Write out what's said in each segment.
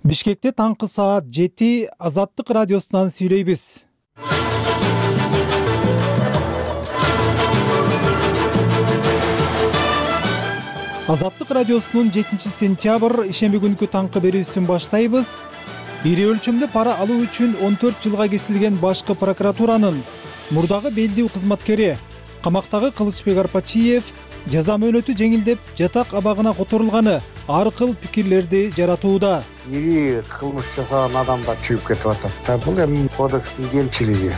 Бишкекте таңкы саат 7 Азаттык радиосунан сүйлөйбүз. Азаттык радиосунун 7 сентябрь ишемби күнкү таңкы берүүсүн баштайбыз. Ири өлчөмдө пара алуу үчүн 14 жылга кесилген башкы прокуратуранын мурдагы белдүү кызматкери камактагы Кылычбек Арпачиев жаза мөөнөтү жеңилдеп жатак абагына которулганы ар кыл пикирлерди жаратууда. Ири кылмыш жасаган адамдар чыгып кетип атат. Бул эми кодекстин кемчилиги.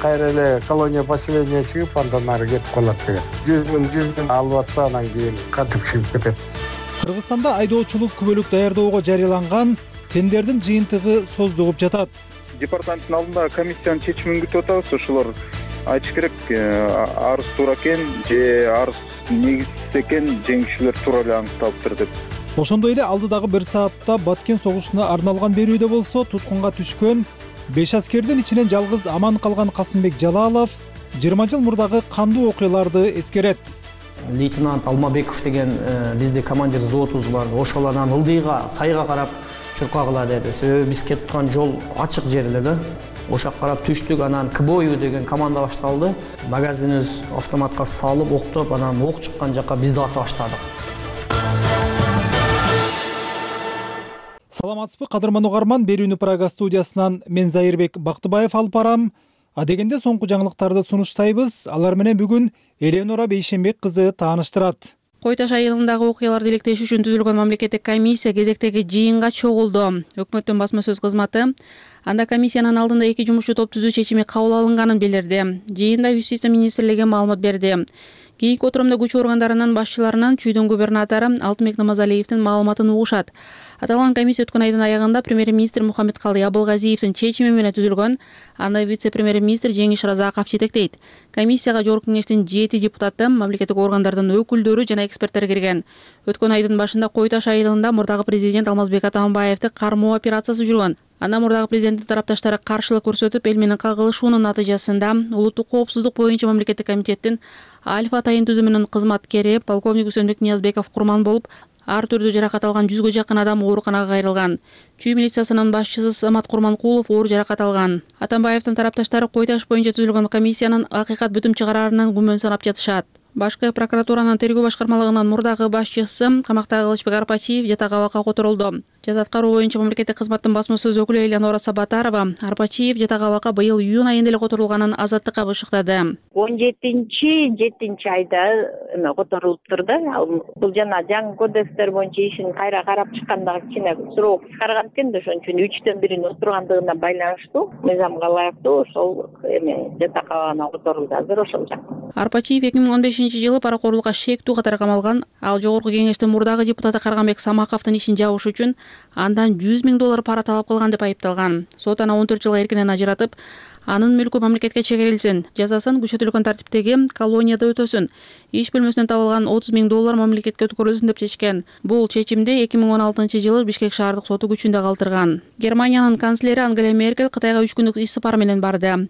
Кайра эле колония поселения чыгып, андан ары кетип калат деген. 100 миң алып атса, анан кийин кантип чыгып кетет. Кыргызстанда айдоочулук күбөлүк даярдоого жарыяланган тендердин жыйынтыгы создугуп жатат. Департаменттин алдында комиссиянын чечимин күтүп атабыз. Ошолор айтыш керек, арыз туура экен же арыз негизсиз экен, жеңүүчүлөр туура эле аныкталыптыр деп. Ошондой эле алдыдагы 1 саатта Баткен согушуна арналган берүүдө болсо туткунга түшкөн 5 аскердин ичинен жалгыз аман калган Касымбек Жалалов 20 жыл мурдагы кандуу окуяларды эскерет. Лейтенант Алмабеков деген бизде командир взводубуз бар. Ошол анан ылдыйга, сайга карап чуркагыла деди. Себеби биз кетип аткан жол ачык жер эле да. Ошак карап түштүк, анан КБОЮ деген команда башталды. Магазинибиз автоматка салып, октоп, анан ок чыккан жака бизди ата баштадык. Саламатсызбы, кадырман угарман, берүүнү Прага студиясынан мен Зайырбек Бактыбаев алып барам. Адегенде соңку жаңылыктарды сунуштайбыз. Алар менен бүгүн Эленора Бейшенбек кызы тааныштырат. Кой Таш айылындагы окуяларды иликтеш үчүн түзүлгөн мамлекеттик комиссия кезектеги жыйынга чогулду. Өкмөттүн басма сөз кызматы анда комиссиянын алдында 2 жумушчу топ түзүү чечими кабыл алынганын билдирди. Жыйында Юстиция министрлиги маалымат берди. Кийинки отурамда күч органдарынын башчыларынан чүйдүн губернатору Алтынбек Намазалиевдин маалыматын угушат. Аталган комиссия өткөн айдын аягында премьер-министр Мухаммедкалый Абылгазиевдин чечими менен түзүлгөн. Анда вице-премьер-министр Жеңиш Разаков жетектейт. Комиссияга жогорку кеңештин 7 депутаты, мамлекеттик органдардын өкүлдөрү жана эксперттер кирген. Өткөн айдын башында Кой Таш айылында мурдагы президент Алмазбек Атамбаевди кармоо операциясы жүргөн. Анда мурдагы президенттин тарапташтары каршылык көрсөтүп, эл менен кагылышуунун натыйжасында улуттук коопсуздук боюнча мамлекеттик комитеттин Альфа атайын түзүмүнүн кызматкери полковник Үсөнбек Ниязбеков курман болуп, ар түрдүү жаракат алган 100гө жакын адам ооруканага кайрылган. Чүй милициясынын башчысы Самат Курманкулов оор жаракат алган. Атамбаевдин тарапташтары Кой Таш боюнча түзүлгөн комиссиянын акыйкат бүтүм чыгараарынан күмөн санап жатышат. Башкы прокуратуранын тергөө башкармалыгынын мурдагы башчысы камактагы Кылычбек Арпачиев жатак абакка которулду. Жаза аткаруу боюнча мамлекеттик кызматтын басма сөз өкүлү Эленора Сабатарова Арпачиев жатак абакка быйыл июнь айында эле которулганын Азаттыкка бышыктады. 17 айда которулуптур да. Бул жана жаңы кодекстер боюнча ишин кайра карап чыкканда кичине срок кыскарган экен да, ошон үчүн 3төн 1 отургандыгына байланыштуу мыйзамга ылайыктуу ошол жатак абагына которулду азыр ошол жак. Арпачиев 2015-жылы паракорлукка шектүү катары камалган. Ал жогорку кеңештин мурдагы депутаты Карганбек Самаковдун ишин жабыш үчүн андан 100 миң доллар пара талап кылган деп айыпталган. Сот аны 14 жылга эркинен ажыратып, анын мүлкү мамлекетке чегерилсин, жазасын күчөтүлгөн тартиптеги колонияда өтөсүн, иш бөлмөсүнөн табылган 30 миң доллар мамлекетке өткөрүлсүн деп чечкен. Бул чечимди 2016-жылы Бишкек шаардык соту күчүндө калтырган. Германиянын канцлери Ангела Меркель Кытайга 3 күндүк иш сапары менен барды.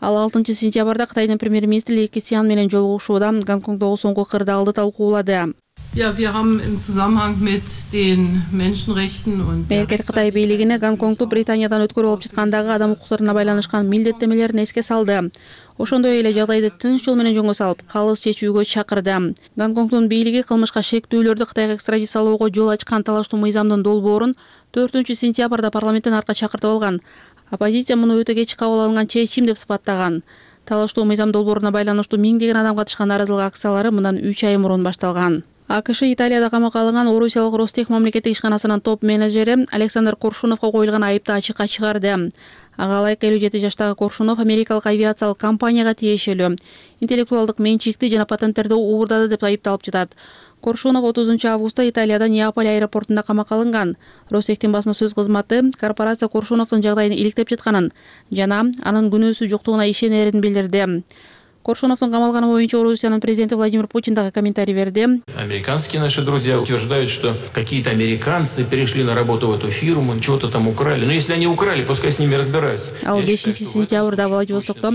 Ал 6 сентябрда Кытайдын премьер-министри Ли Кесян менен жолугушууда Гонконгдогу соңку кырдаалды талкуулады. Ja, wir haben im Zusammenhang mit den Menschenrechten und Меркель Кытай бийлигине Гонконгду Британиядан өткөрүп алып жаткандагы адам укуктарына байланышкан милдеттемелерин эске салды. Ошондой эле жагдайды тынч жол менен жөнгө салып, калыс чечүүгө чакырды. Гонконгдун бийлиги кылмышка шектүүлөрдү Кытайга экстрадициялоого жол ачкан талаштуу мыйзамдын долбоорун 4 сентябрда парламенттен артка чакыртып алган. Оппозиция муну өтө кеч кабыл алынган чечим деп сыпаттаган. Талаштуу мыйзам долбооруна байланыштуу миңдеген адам катышкан нааразылык акциялары мындан 3 ай мурун башталган. АКШ Италияда камакка алынган Орусиялык Ростех мамлекеттик ишканасынын топ менеджери Александр Коршуновго коюлган айыпты ачыкка чыгарды. Ага ылайык 57 жаштагы Коршунов америкалык авиациялык компанияга тиешелүү интеллектуалдык менчикти жана патенттерди уурдады деп айыпталып жатат. Коршунов 30 августта Италияда Неаполь аэропортунда камакка алынган. Ростехтин басма сөз кызматы корпорация Коршуновдун жагдайын иликтеп жатканын жана анын күнөөсү жоктугуна ишенерин билдирди. Коршуновдун камалганы боюнча Орусиянын президенти Владимир Путин дагы комментарий берди. Американские наши друзья утверждают, что какие-то американцы перешли на работу в эту фирму, что-то там украли. Но если они украли, пускай с ними разбираются. Ал 5 сентябрда Владивостокто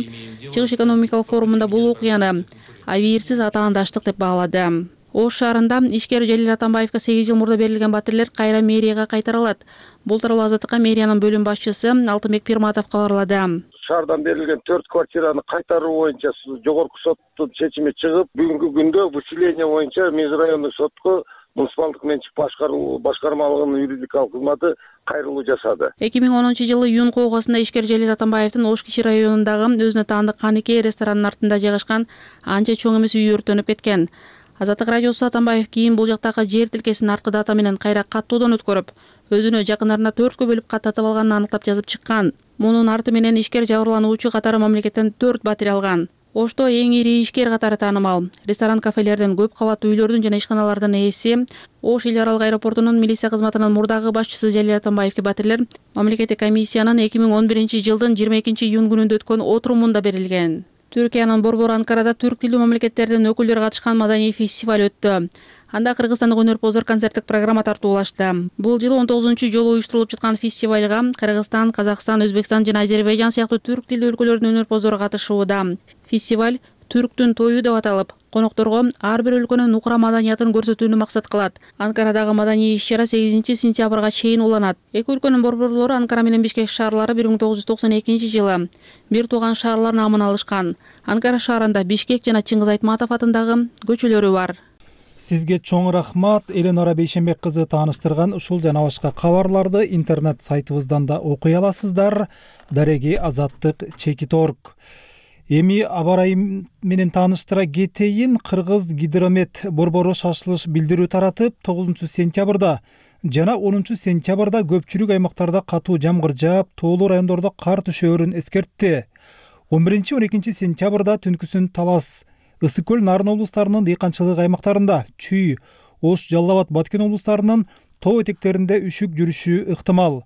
чыгыш экономикалык форумунда бул окуяны авиирсиз атаандаштык деп баалады. Ош шаарында ишкер Жалил Атамбаевга 8 жыл мурда берилген батирлер кайра мэрияга кайтарылат. Бул тууралуу Азаттыкка мэриянын бөлүм башчысы Алтынбек Пирматов кабарлады. Шаардан берилген 4 квартираны кайтаруу боюнча жогорку соттун чечими чыгып, бүгүнкү күндө выселение боюнча межрайондук сотко муниципалдык менчик башкармалыгынын юридикалык кызматы кайрылуу жасады. 2010-жылы июнь куугасында ишкер Желил Атамбаевдин Ош кичи районундагы өзүнө таандык Каникей ресторанынын артында жайгашкан анча чоң эмес үй өрттөнүп кеткен. Азаттык радиосу Атамбаев кийин бул жактагы жер тилкесин арткы дата менен кайра каттоодон өткөрүп, өзүнө жакындарына 4кө бөлүп каттатып алганын аныктап жазып чыккан. Мунун арты менен ишкер жабырлануучу катары мамлекеттен 4 батир алган. Ошто эң ири ишкер катары таанымал. Ресторан, кафелердин, көп кабаттуу үйлөрдүн жана ишканалардын ээси, Ош эл аралык аэропортунун милиция кызматынын мурдагы башчысы Желил Атамбаевге батирлер мамлекеттик комиссиянын 2011-жылдын 22-июнь күнүндө өткөн отурумунда берилген. Түркиянын борбору Анкарада түрк тилдүү мамлекеттердин өкүлдөрү катышкан маданий фестиваль өттү. Анда кыргызстандык өнөрпоздор концерттик программа тартуулашты. Бул жылы 19-жолу уюштурулуп жаткан фестивалга Кыргызстан, Казакстан, Өзбекстан жана Азербайжан сыяктуу түрк тилдүү өлкөлөрдүн өнөрпоздору катышууда. Фестиваль түрктүн тою деп аталып, конокторго ар бир өлкөнүн нукура маданиятын көрсөтүүнү максат кылат. Анкарадагы маданий иш-чара 8-сентябрга чейин уланат. Эки өлкөнүн борборлору Анкара менен Бишкек шаарлары 1992-жылы бир тууган шаарлар наамын алышкан. Анкара шаарында Бишкек жана Чыңгыз Айтматов атындагы көчөлөрү бар. Сизге чоң рахмат. Эленора Бейшенбек кызы тааныштырган ушул жана башка кабарларды интернет сайтыбыздан да окуй аласыздар. Дареги Азаттык.org. Эми аба ырайы менен тааныштыра кетейин. Кыргыз гидромет борбору шашылыш билдирүү таратып, 9-сентябрда жана 10-сентябрда көпчүлүк аймактарда катуу жамгыр жаап, тоолуу райондордо кар түшөөрүн эскертти. 11-12 сентябрда түнкүсүн Талас, Ысык көл, Нарын облустарынын дыйканчылык аймактарында, Чүй, Ош, Жалал Абад, Баткен облустарынын тоо этектеринде үшүк жүрүшү ыктымал.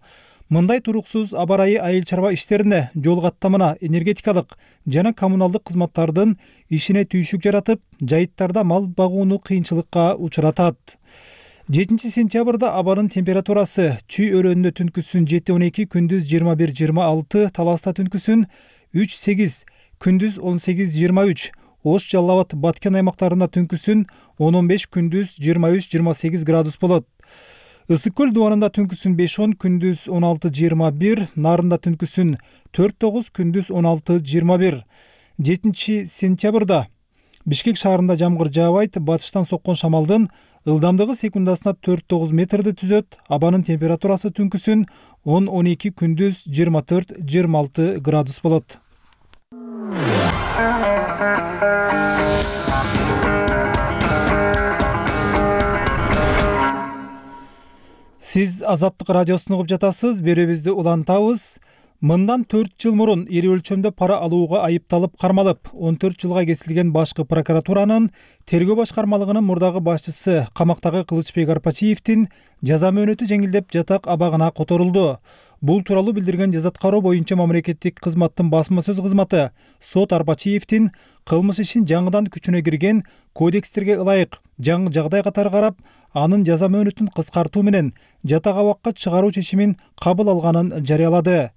Мындай туруксуз аба ырайы айыл чарба иштерине, жол каттамына, энергетикалык жана коммуналдык кызматтардын ишине түйшүк жаратып, жайыттарда мал багууну кыйынчылыкка учуратат. 7-сентябрда абанын температурасы Чүй өрөөнүндө түнкүсүн 7-12, күндүз 21-26, Таласта түнкүсүн 3-8, күндүз 18-23, Ош, Жалал Абад, Баткен аймактарында түнкүсүн 10-15, күндүз 23-28 градус болот. Ысык көл дубанында түнкүсүн 5-10, күндүз 16-21, Нарында түнкүсүн 4-9, күндүз 16-21. 7-сентябрда Бишкек шаарында жамгыр жаабайт, батыштан соккон шамалдын ылдамдыгы секундасына 4-9 метрди түзөт. Абанын температурасы түнкүсүн 10-12, күндүз 24-26 градус болот. Сиз Азаттык радиосун угуп жатасыз. Берүүбүздү улантабыз. Мындан 4 жыл мурун ири өлчөмдө пара алууга айыпталып кармалып, 14 жылга кесилген башкы прокуратуранын тергөө башкармалыгынын мурдагы башчысы камактагы Кылычбек Арпачиевдин жаза мөөнөтү жеңилдеп жатак абагына которулду. Бул тууралуу билдирген жазаткароо боюнча мамлекеттик кызматтын басма сөз кызматы сот Арпачиевдин кылмыш ишин жаңыдан күчүнө кирген кодекстерге ылайык жаңы жагдай катары карап, анын жаза мөөнөтүн кыскартуу менен жатак абакка чыгаруу чечимин кабыл алганын жарыялады.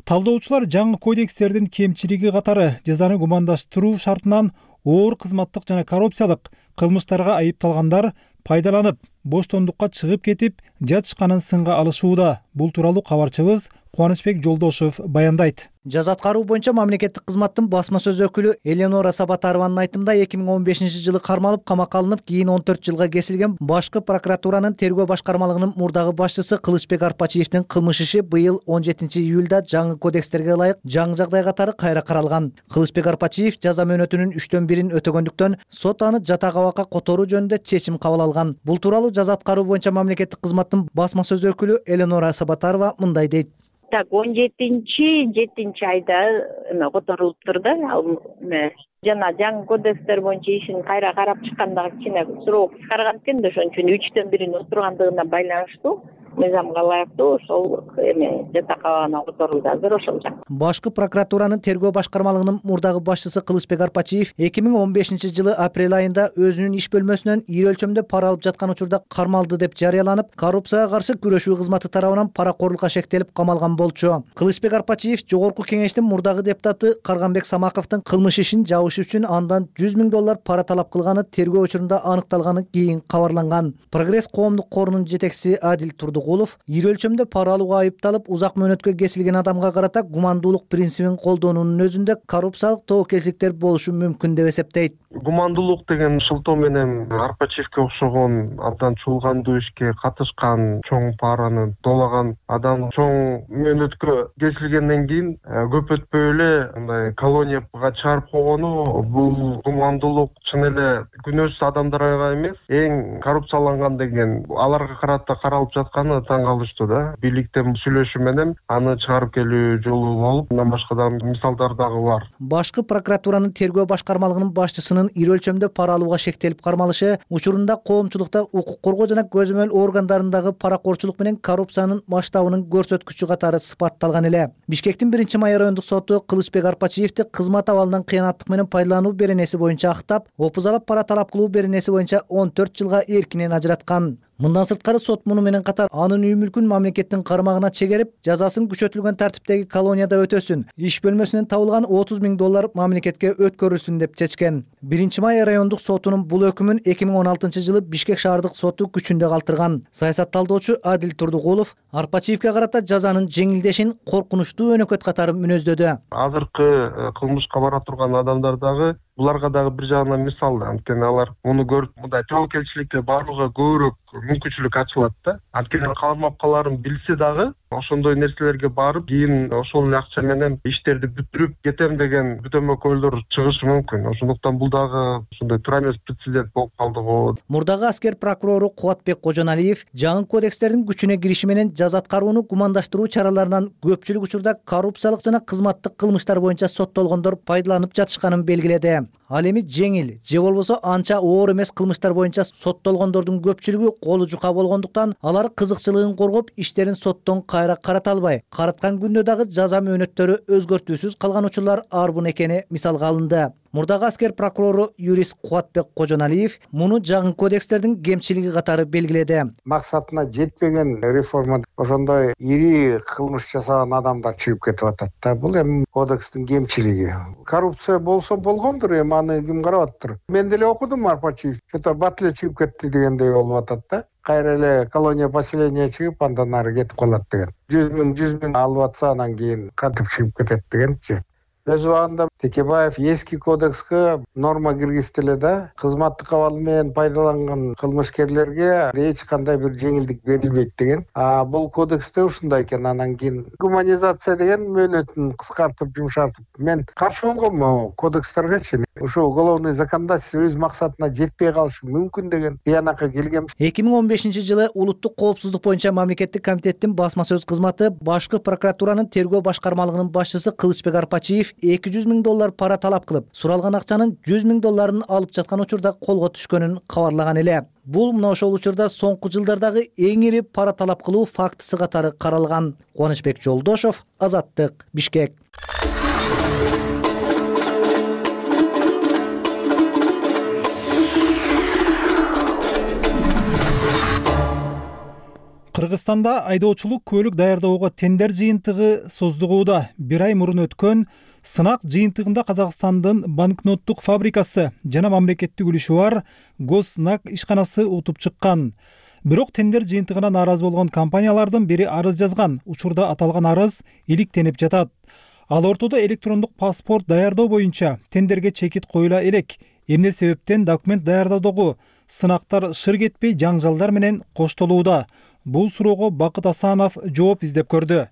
Талдоочулар жаңы кодекстердин кемчилиги катары жазаны гумандаштыруу шартынан оор кызматтык жана коррупциялык кылмыштарга айыпталгандар пайдаланып, боштондукка чыгып кетип, жатышканын сынга алышууда. Бул тууралуу кабарчыбыз Кубанычбек Жолдошов баяндайт. Жазаткаруу боюнча мамлекеттик кызматтын басма сөз өкүлү Эленора Сабатарованын айтымында 2015-жылы кармалып, камакка алынып, кийин 14 жылга кесилген башкы прокуратуранын тергөө башкармалыгынын мурдагы башчысы Кылычбек Арпачиевдин кылмыш иши быйыл 17-июлда жаңы кодекстерге ылайык жаңы жагдай катары кайра каралган. Кылычбек Арпачиев жаза мөөнөтүнүн 3/1 өтөгөндүктөн сот аны жатак абакка которуу жөнүндө чечим кабыл алган. Бул тууралуу жаза аткаруу боюнча мамлекеттик кызматтын басма сөз өкүлү Эленора Сабатарова мындай дейт. Так, 17 айда которулуптур да. Жана жаңы кодекстер боюнча ишин кайра карап чыкканда кичине суроо кыскарган экен да, ошон үчүн 3/1 отургандыгына байланыштуу мыйзамга ылайыктуу ошол эме жатак абагына которулду азыр ошол жак. Башкы прокуратуранын тергөө башкармалыгынын мурдагы башчысы Кылычбек Арпачиев 2015-жылы апрель айында өзүнүн иш бөлмөсүнөн ири өлчөмдө пара алып жаткан учурда кармалды деп жарыяланып, коррупцияга каршы күрөшүү кызматы тарабынан паракорлукка шектелип камалган болчу. Кылычбек Арпачиев Жогорку Кеңештин мурдагы депутаты Карганбек Самаковдун кылмыш ишин жабыш үчүн андан 100 000 доллар пара талап кылганы тергөө учурунда аныкталганын кийин кабарланган. Прогресс коомдук корунун жетекчиси Адил Турдугулов ири өлчөмдө пара алууга айыпталып узак мөөнөткө кесилген адамга карата гумандуулук принцибин колдоонунун өзүндө коррупциялык тобокелчиликтер болушу мүмкүн деп эсептейт. Гумандуулук деген шылтоо менен Арпачиевке окшогон абдан чуулгандуу ишке катышкан, чоң параны доолаган адам чоң мөөнөткө кесилгенден кийин көп өтпөй эле мындай колонияга чыгарып койгону бул гумандуулук чын эле күнөөсүз адамдарга эмес, эң коррупцияланган деген аларга карата каралып жатканы таң калыштуу да. Бийликтен сүйлөшүү менен аны чыгарып келүү жолу болуп, мындан башка да мисалдар дагы бар. Башкы прокуратуранын тергөө башкармалыгынын башчысынын ири өлчөмдө пара алууга шектелип кармалышы учурунда коомчулукта укук коргоо жана көзөмөл органдарындагы паракорчулук менен коррупциянын масштабынын көрсөткүчү катары сыпатталган эле. Бишкектин 1-май райондук соту Кылычбек Арпачиевди кызмат абалынан кыянаттык менен пайдалануу беренеси боюнча актап, опузалап пара талап кылуу беренеси боюнча 14 жылга эркинен ажыраткан. Мындан сырткары сот муну менен катар анын үй мүлкүн мамлекеттин кармагына чегерип, жазасын күчөтүлгөн тартиптеги колонияда өтөсүн, иш бөлмөсүнөн табылган 30 000 доллар мамлекетке өткөрүлсүн деп чечкен. 1-май райондук сотунун бул өкүмүн 2016-жылы Бишкек шаардык соту күчүндө калтырган. Саясатталдоочу Адил Турдугулов Арпачиевке карата жазанын жеңилдешин коркунучтуу өнөкөт катары мүнөздөдү. Азыркы кылмышка бара турган адамдар дагы буларга дагы бир жагынан мисал. Анткени алар муну көрүп, мындай тобокелчиликке барууга көбүрөөк мүмкүнчүлүк ачылат да. Анткени кармапкаларын билсе дагы ошондой нерселерге барып, кийин ошол эле акча менен иштерди бүтүрүп кетем деген бүтөмөкөлдөр чыгышы мүмкүн. Ошондуктан бул дагы ошондой туура эмес прецедент болуп калды го. Мурдагы аскер прокурору Кубатбек Кожоналиев жаңы кодекстердин күчүнө кириши менен жаза аткарууну гумандаштыруу чараларынан көпчүлүк учурда коррупциялык жана кызматтык кылмыштар боюнча соттолгондор пайдаланып жатышканын белгиледи. Ал эми жеңил же болбосо анча оор эмес кылмыштар боюнча соттолгондордун көпчүлүгү колу жука болгондуктан алар кызыкчылыгын коргоп иштерин соттон кайра карата албай, караткан күндө дагы жаза мөөнөттөрү өзгөртүүсүз калган учурлар арбын экени мисалга алынды. Мурдагы аскер прокурору юрист Кубатбек Кожоналиев муну жаңы кодекстердин кемчилиги катары белгиледи. Максатына жетпеген реформа ошондой ири кылмыш жасаган адамдар чыгып кетип атат да. Бул эми кодекстин кемчилиги. Коррупция болсо болгондур, эми аны ким карап атыптыр? Мен деле окудум Арпачиев. Что-то бат эле чыгып кетти дегендей болуп атат да. Кайра эле колония поселения чыгып, андан ары кетип калат деген. 100 000 алып атса, анан кийин кантип чыгып кетет дегенчи. Өз убагында Текебаев эски кодекске норма киргизди да, кызматтык абал менен пайдаланган кылмышкерлерге эч кандай бир жеңилдик берилбейт деген. Бул кодексте ушундай экен. Анан кийин гуманизация деген мөөнөтүн кыскартып, жумшартып. Мен каршы болгом кодекстергечи. Ошо уголовный законодательство өз максатына жетпей калышы мүмкүн деген тыянакка келгем. 2015-жылы улуттук коопсуздук боюнча мамлекеттик комитеттин басма сөз кызматы башкы прокуратуранын тергөө башкармалыгынын башчысы Кылычбек Арпачиев 200 000 доллар пара талап кылып, суралган акчанын 100 000 долларын алып жаткан учурда колго түшкөнүн кабарлаган эле. Бул мына ошол учурда соңку жылдардагы эң ири пара талап кылуу фактысы катары каралган. Кубанычбек Жолдошов, Азаттык, Бишкек. Кыргызстанда айдоочулук көлүк даярдоого тендер жыйынтыгы создугууда. Бир ай мурун өткөн сынак жыйынтыгында Казакстандын банкноттук фабрикасы жана мамлекеттик үлүшү бар Госнак ишканасы утуп чыккан. Бирок тендер жыйынтыгына нааразы болгон компаниялардын бири арыз жазган. Учурда аталган арыз иликтенип жатат. Ал ортодо электрондук паспорт даярдоо боюнча тендерге чекит коюла элек. Эмне себептен документ даярдоодогу сынактар шыр кетпей жаңжалдар менен коштолууда? Бул суроого Бакыт Асанов жооп издеп көрдү.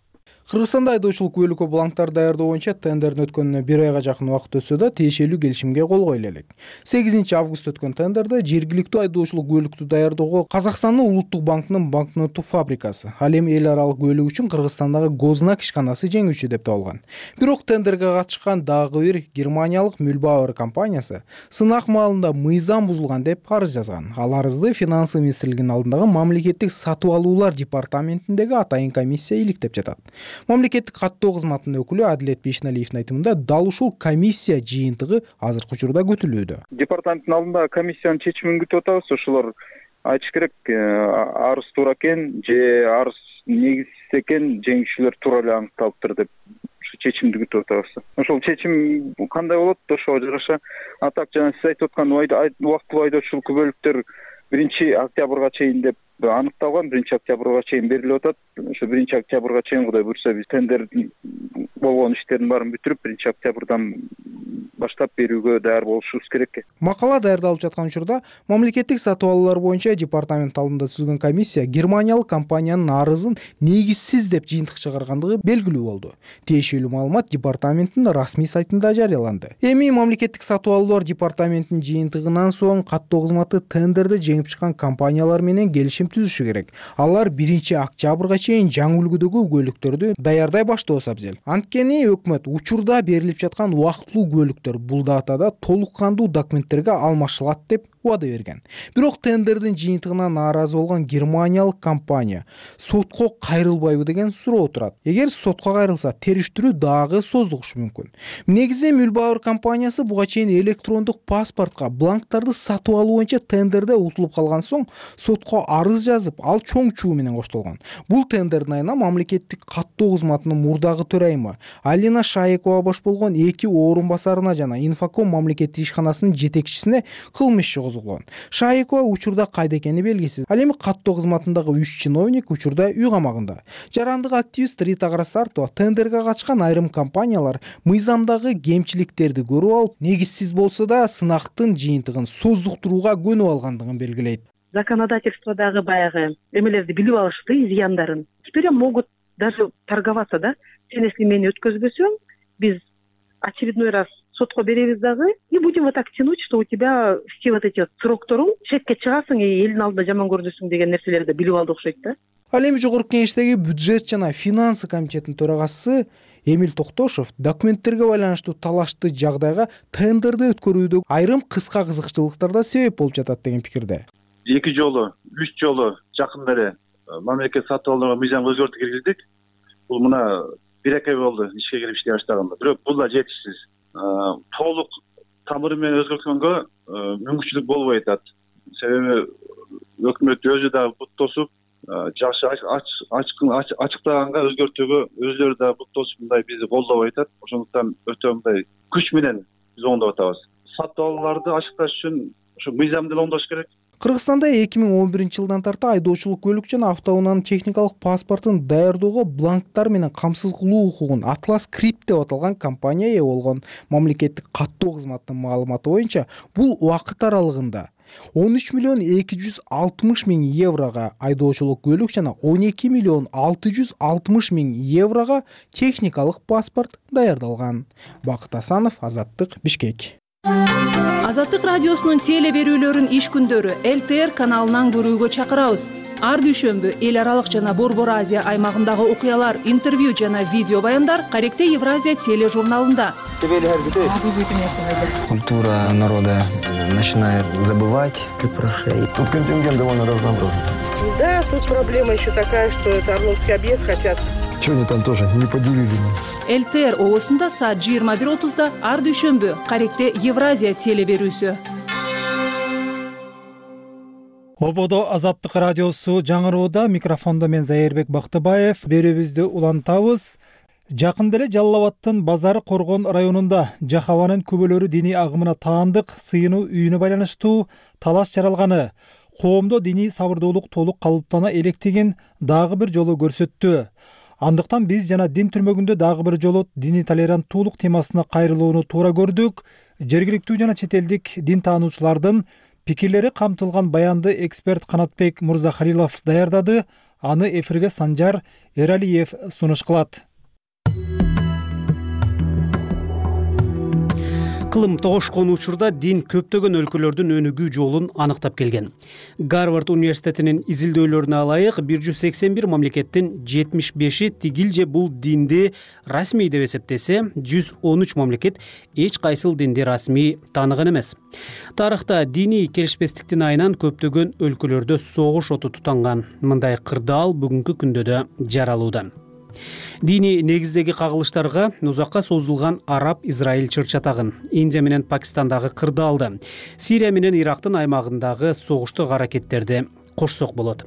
Кыргызстанда айдоочулук күбөлүккө бланктар даярдоо боюнча тендердин өткөнүнө 1 айга жакын убакыт өтсө да тиешелүү келишимге кол коюла элек. 8 август өткөн тендерде жергиликтүү айдоочулук күбөлүктү даярдоого Казакстандын Улуттук банкынын банкноттук фабрикасы, ал эми эл аралык күбөлүк үчүн Кыргызстандагы Гознак ишканасы жеңүүчү деп табылган. Бирок тендерге катышкан дагы бир германиялык Mühlbauer компаниясы сынак маалында мыйзам бузулган деп арыз жазган. Ал арызды Финансы министрлигинин алдындагы мамлекеттик сатып алуулар департаментиндеги атайын комиссия иликтеп жатат. Мамлекеттик каттоо кызматынын өкүлү Адилет Бейшналиевдин айтымында дал ушул комиссия жыйынтыгы азыркы учурда күтүлүүдө. Департаменттин алдында комиссиянын чечимин күтүп атабыз. Ошолор айтыш керек, арыз туура экен же арыз негизсиз экен, жеңүүчүлөр туура эле аныкталыптыр деп чечимди күтүп атабыз. Ошол чечим кандай болот, ошого жараша. А так жана сиз айтып аткан убактылуу айдоочулук күбөлүктөр 1 октябрга чейин деп аныкталган. 1 октябрга чейин берилип атат. Ошо 1 октябрга чейин Кудай буйрса биз тендер болгон иштердин баарын бүтүрүп 1 октябрдан баштап берүүгө даяр болушубуз керек. Макала даярдалып жаткан учурда мамлекеттик сатып алуулар боюнча департамент алдында түзүлгөн комиссия германиялык компаниянын арызын негизсиз деп жыйынтык чыгаргандыгы белгилүү болду. Тиешелүү маалымат департаменттин расмий сайтында жарыяланды. Эми мамлекеттик сатып алуулар департаментинин жыйынтыгынан соң каттоо кызматы тендерде жеңип чыккан компаниялар менен келишим түзүшү керек. Алар 1 октябрга чейин жаңы үлгүдөгү күбөлүктөрдү даярдай баштоосу абзел. Анткени өкмөт учурда берилип жаткан убактылуу күбөлүктөр бул датада толук кандуу документтерге алмашылат деп убада берген. Бирок тендердин жыйынтыгына нааразы болгон германиялык компания сотко кайрылбайбы деген суроо турат. Эгер сотко кайрылса, териштирүү дагы создугушу мүмкүн. Негизи Mühlbauer компаниясы буга чейин электрондук паспортко бланктарды сатып алуу боюнча тендерде утулуп калган соң сотко арыз жазып, ал чоң чуу менен коштолгон. Бул тендердин айына мамлекеттик каттоо кызматынын мурдагы төрайымы Алина Шаекова бош болгон 2 орун басарына жана Инфоком мамлекеттик ишканасынын жетекчисине кылмыш иши козголгон. Шаекова учурда кайда экени белгисиз. Ал эми каттоо кызматындагы 3 чиновник учурда үй камагында. Жарандык активист Рита Карасартова тендерге катышкан айрым компаниялар мыйзамдагы кемчиликтерди көрүп алып, негизсиз болсо да сынактын жыйынтыгын создуктурууга көнүп алгандыгын белгилейт. Законодательстводагы баягы эмелерди билип алышты, изъяндарын. Теперь могут даже торговаться, да? Сен если мени өткөзбөсөң, биз очередной раз сотко беребиз дагы и будем вот так тянуть, что у тебя все вот эти срокторуң шекке чыгасың и элдин алдында жаман көрүнөсүң деген нерселерди билип алды окшойт да. Ал эми жогорку кеңештеги бюджет жана финансы комитетинин төрагасы Эмил Токтошов документтерге байланыштуу талашты жагдайга тендерди өткөрүүдө айрым кыска кызыкчылыктар да себеп болуп жатат деген пикирде. 2 жолу, 3 жолу жакында эле мамлекет сатып алууга мыйзам өзгөртүү киргиздик. Бул мына 1-2 ай болду ишке кирип иштей баштаганда. Бирок бул да жетишсиз. Толук тамыры менен өзгөрткөнгө мүмкүнчүлүк болбой атат. Себеби өкмөт өзү да бут тосуп, жакшы ачыктаганга өзгөртүүгө өзүлөрү да бут тосуп мындай бизди колдобой атат. Ошондуктан өтө мындай күч менен биз оңдоп атабыз. Сатып алууларды ачыкташ үчүн ошо мыйзамды оңдош керек. Кыргызстанда 2011-жылдан тарта айдоочулук көлүк жана автоунаанын техникалык паспортун даярдоого бланктар менен камсыз кылуу укугун Atlas Script деп аталган компания ээ болгон. Мамлекеттик каттоо кызматынын маалыматы боюнча бул убакыт аралыгында 13,260,000 еврого айдоочулук көлүк жана 12,660,000 еврого техникалык паспорт даярдалган. Бакыт Асанов, Азаттык, Бишкек. Азаттык радиосунун теле берүүлөрүн иш күндөрү ЛТР каналынан көрүүгө чакырабыз. Ар дүйшөмбү эл аралык жана Борбор Азия аймагындагы окуялар, интервью жана видео баяндар Каректе Евразия тележурналында. Культура народа начинает забывать. Тут контингент довольно разнообразный. Да, тут проблема еще такая, что это Орловский объезд хотят. Что они там тоже не поделили? ЛТР оосунда саат 21:30 ар дүйшөмбү Каректе Евразия теле берүүсү. Ободо Азаттык радиосу жаңырууда, микрофондо мен Зайырбек Бактыбаев. Берүүбүздү улантабыз. Жакында эле Жалал Абадтын Базары Коргон районунда Жахаванын күбөлөрү диний агымына таандык сыйынуу үйүнө байланыштуу талаш жаралганы коомдо диний сабырдуулук толук калыптана электигин дагы бир жолу көрсөттү. Андыктан биз жана дин түрмөгүндө дагы бир жолу диний толеранттуулук темасына кайрылууну туура көрдүк. Жергиликтүү жана чет элдик дин таануучулардын пикирлери камтылган баянды эксперт Канатбек Мурзахалилов даярдады. Аны эфирге Санжар Эралиев сунуш кылат. Кылым тогошкон учурда дин көптөгөн өлкөлөрдүн өнүгүү жолун аныктап келген. Гарвард университетинин изилдөөлөрүнө алайык, 181 мамлекеттин 75-и тигил же бул динди расмий деп эсептесе, 113 мамлекет эч кайсыл динди расмий тааныган эмес. Тарыхта диний келишпестиктин айынан көптөгөн өлкөлөрдө согуш оту тутанган. Мындай кырдаал бүгүнкү күндө да жаралууда. Диний негиздеги кагылыштарга узакка созулган Араб-Израиль чыр-чатагын, Индия менен Пакистандагы кырдаалды, Сирия менен Ирактын аймагындагы согуштук аракеттерди кошсок болот.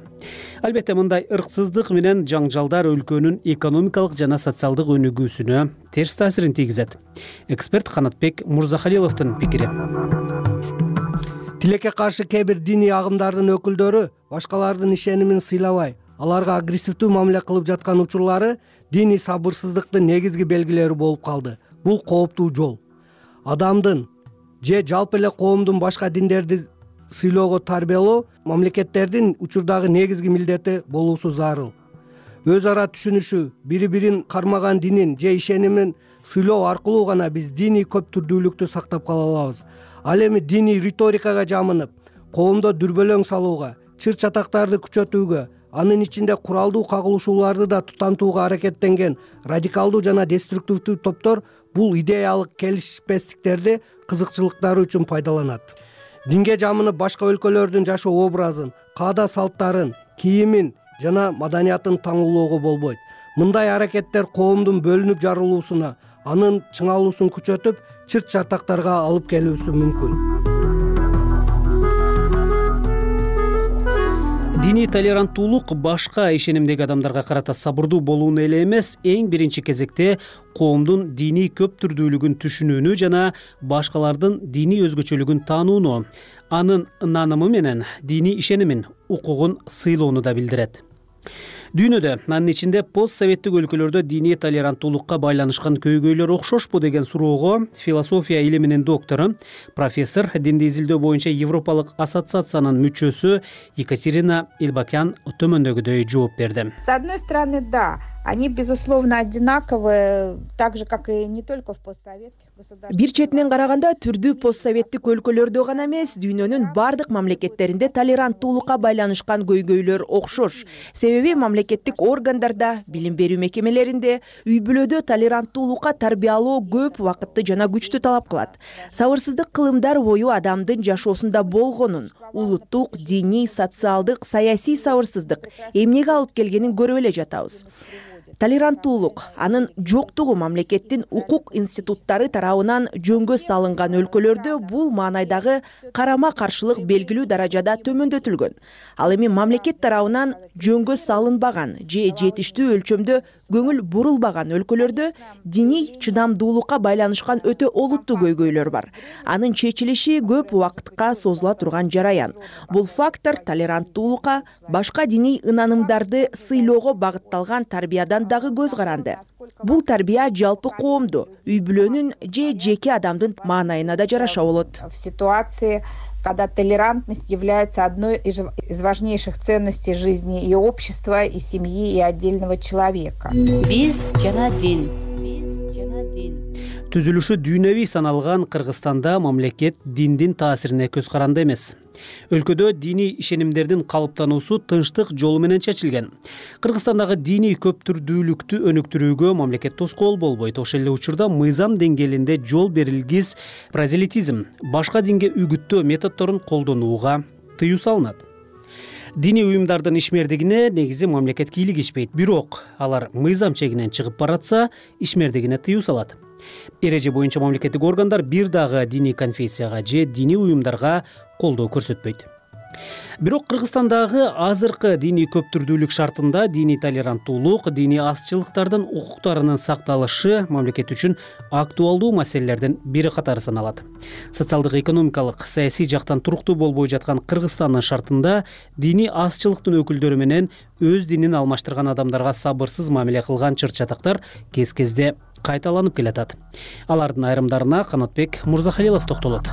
Албетте мындай ырксыздык менен жаңжалдар өлкөнүн экономикалык жана социалдык өнүгүүсүнө терс таасирин тийгизет. Эксперт Канатбек Мурзахалиловдун пикири. Тилекке каршы кээ бир диний агымдардын өкүлдөрү башкалардын ишенимин сыйлабай, аларга агрессивдүү мамиле кылып жаткан учурлары диний сабырсыздыктын негизги белгилери болуп калды. Бул кооптуу жол. Адамдын же жалпы эле коомдун башка диндерди сыйлоого тарбиялоо мамлекеттердин учурдагы негизги милдети болуусу зарыл. Өз ара түшүнүшү, бири-бирин кармаган динин же ишенимин сыйлоо аркылуу гана биз диний көптүрдүүлүктү сактап кала алабыз. Ал эми диний риторикага жамынып, коомдо дүрбөлөң салууга, чыр-чатактарды күчөтүүгө, анын ичинде куралдуу кагылышууларды да тутантууга аракеттенген радикалдуу жана деструктивдүү топтор бул идеялык келишпестиктерди кызыкчылыктары үчүн пайдаланат. Динге жамынып башка өлкөлөрдүн жашоо образын, каада салттарын, кийимин жана маданиятын таңуулоого болбойт. Мындай аракеттер коомдун бөлүнүп жарылуусуна, анын чыңалуусун күчөтүп, чыр-чатактарга алып келүүсү мүмкүн. Диний толеранттуулук башка ишенимдеги адамдарга карата сабырдуу болууну эле эмес, эң биринчи кезекте коомдун диний көптүрдүүлүгүн түшүнүүнү жана башкалардын диний өзгөчөлүгүн таанууну, анын наанымы менен диний ишенимин, укугун сыйлоону да билдирет. Дүйнөдө, анын ичинде постсоветтик өлкөлөрдө диний толеранттуулукка байланышкан көйгөйлөр окшошпу деген суроого философия илиминин доктору, профессор, динди изилдөө боюнча Европалык ассоциациянын мүчөсү Екатерина Илбакян төмөндөгүдөй жооп берди. С одной стороны, да, они безусловно одинаковые, так же как и не только в постсоветских государствах. Бир четинен караганда түрдүү постсоветтик өлкөлөрдө гана эмес, дүйнөнүн бардык мамлекеттеринде толеранттуулукка байланышкан көйгөйлөр окшош. Себеби мамлекеттик органдарда, билим берүү мекемелеринде, үй-бүлөдө толеранттуулукка тарбиялоо көп убакытты жана күчтү талап кылат. Сабырсыздык кылымдар бою адамдын жашоосунда болгонун, улуттук, диний, социалдык, саясий сабырсыздык эмнеге алып келгенин көрүп эле жатабыз. Толеранттуулук, анын жоктугу мамлекеттин укук институттары тарабынан жөнгө салынган өлкөлөрдө бул маанайдагы карама-каршылык белгилүү даражада төмөндөтүлгөн. Ал эми мамлекет тарабынан жөнгө салынбаган же жетиштүү өлчөмдө көңүл бурулбаган өлкөлөрдө диний чыдамдуулукка байланышкан өтө олуттуу көйгөйлөр бар. Анын чечилиши көп убакытка созула турган жараян. Бул фактор толеранттуулукка, башка диний ынанымдарды сыйлоого багытталган тарбиядан дагы көз каранды. Бул тарбия жалпы коомду, үй-бүлөнүн же жеке адамдын маанайына да жараша болот. В ситуации, когда толерантность является одной из важнейших ценностей жизни и общества, и семьи, и отдельного человека. Биз жана дин. Түзүлүшү дүйнөвүй саналган Кыргызстанда мамлекет диндин таасирине көз каранды эмес. Өлкөдө диний ишенимдердин калыптануусу тынчтык жолу менен чечилген. Кыргызстандагы диний көптүрдүүлүктү өнүктүрүүгө мамлекет тоскоол болбойт. Ошол эле учурда мыйзам деңгээлинде жол берилгис прозелитизм, башка динге үгүттөө методдорун колдонууга тыюу салынат. Диний уюмдардын ишмердигине негизи мамлекет кийлигишпейт, бирок алар мыйзам чегинен чыгып баратса, ишмердигине тыюу салат. Эреже боюнча мамлекеттик органдар бир дагы диний конфессияга же диний уюмдарга колдоо көрсөтпөйт. Бирок Кыргызстандагы азыркы диний көптүрдүүлүк шартында диний толеранттуулук, диний азчылыктардын укуктарынын сакталышы мамлекет үчүн актуалдуу маселелердин бири катары саналат. Социалдык, экономикалык, саясий жактан туруктуу болбой жаткан Кыргызстандын шартында диний азчылыктын өкүлдөрү менен өз динин алмаштырган адамдарга сабырсыз мамиле кылган чыр-чатактар кез-кезде кайталанып келатат. Алардын айрымдарына Канатбек Мурзахалилов токтолот.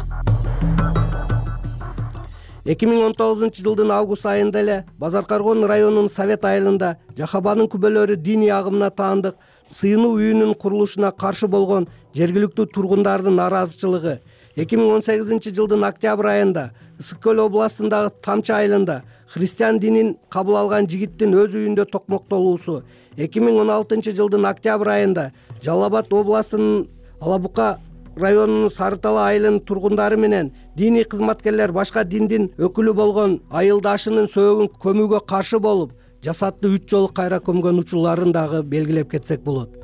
2019 август айында эле Базар Каргон районунун Совет айылында Жахабанын күбөлөрү диний агымына таандык сыйынуу үйүнүн курулушуна каршы болгон жергиликтүү тургундардын нааразычылыгы, 2018 жылдын октябрь айында Ысык көл областындагы Тамчы айылында христиан динин кабыл алган жигиттин өз үйүндө токмоктолуусу, 2016 жылдын октябрь айында Жалал Абад областынын Алабука районунун Сары Тала айылынын тургундары менен диний кызматкерлер башка диндин өкүлү болгон айылдашынын сөөгүн көмүүгө каршы болуп, жасатты 3 жолу кайра көмгөн учурларын дагы белгилеп кетсек болот.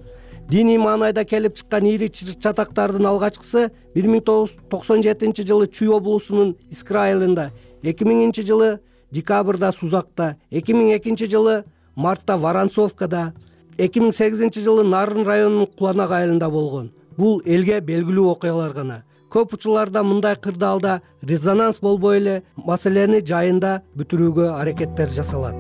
Диний маанайда келип чыккан ири чатактардын алгачкысы 1997 жылы Чүй облусунун Искра айылында, 2000 жылы декабрда Сузакта, 2002 жылы мартта Воронцовкада, 2008 жылы Нарын районунун Куланак айылында болгон. Бул элге белгилүү окуялар гана. Көп учурларда мындай кырдаалда резонанс болбой эле маселени жайында бүтүрүүгө аракеттер жасалат.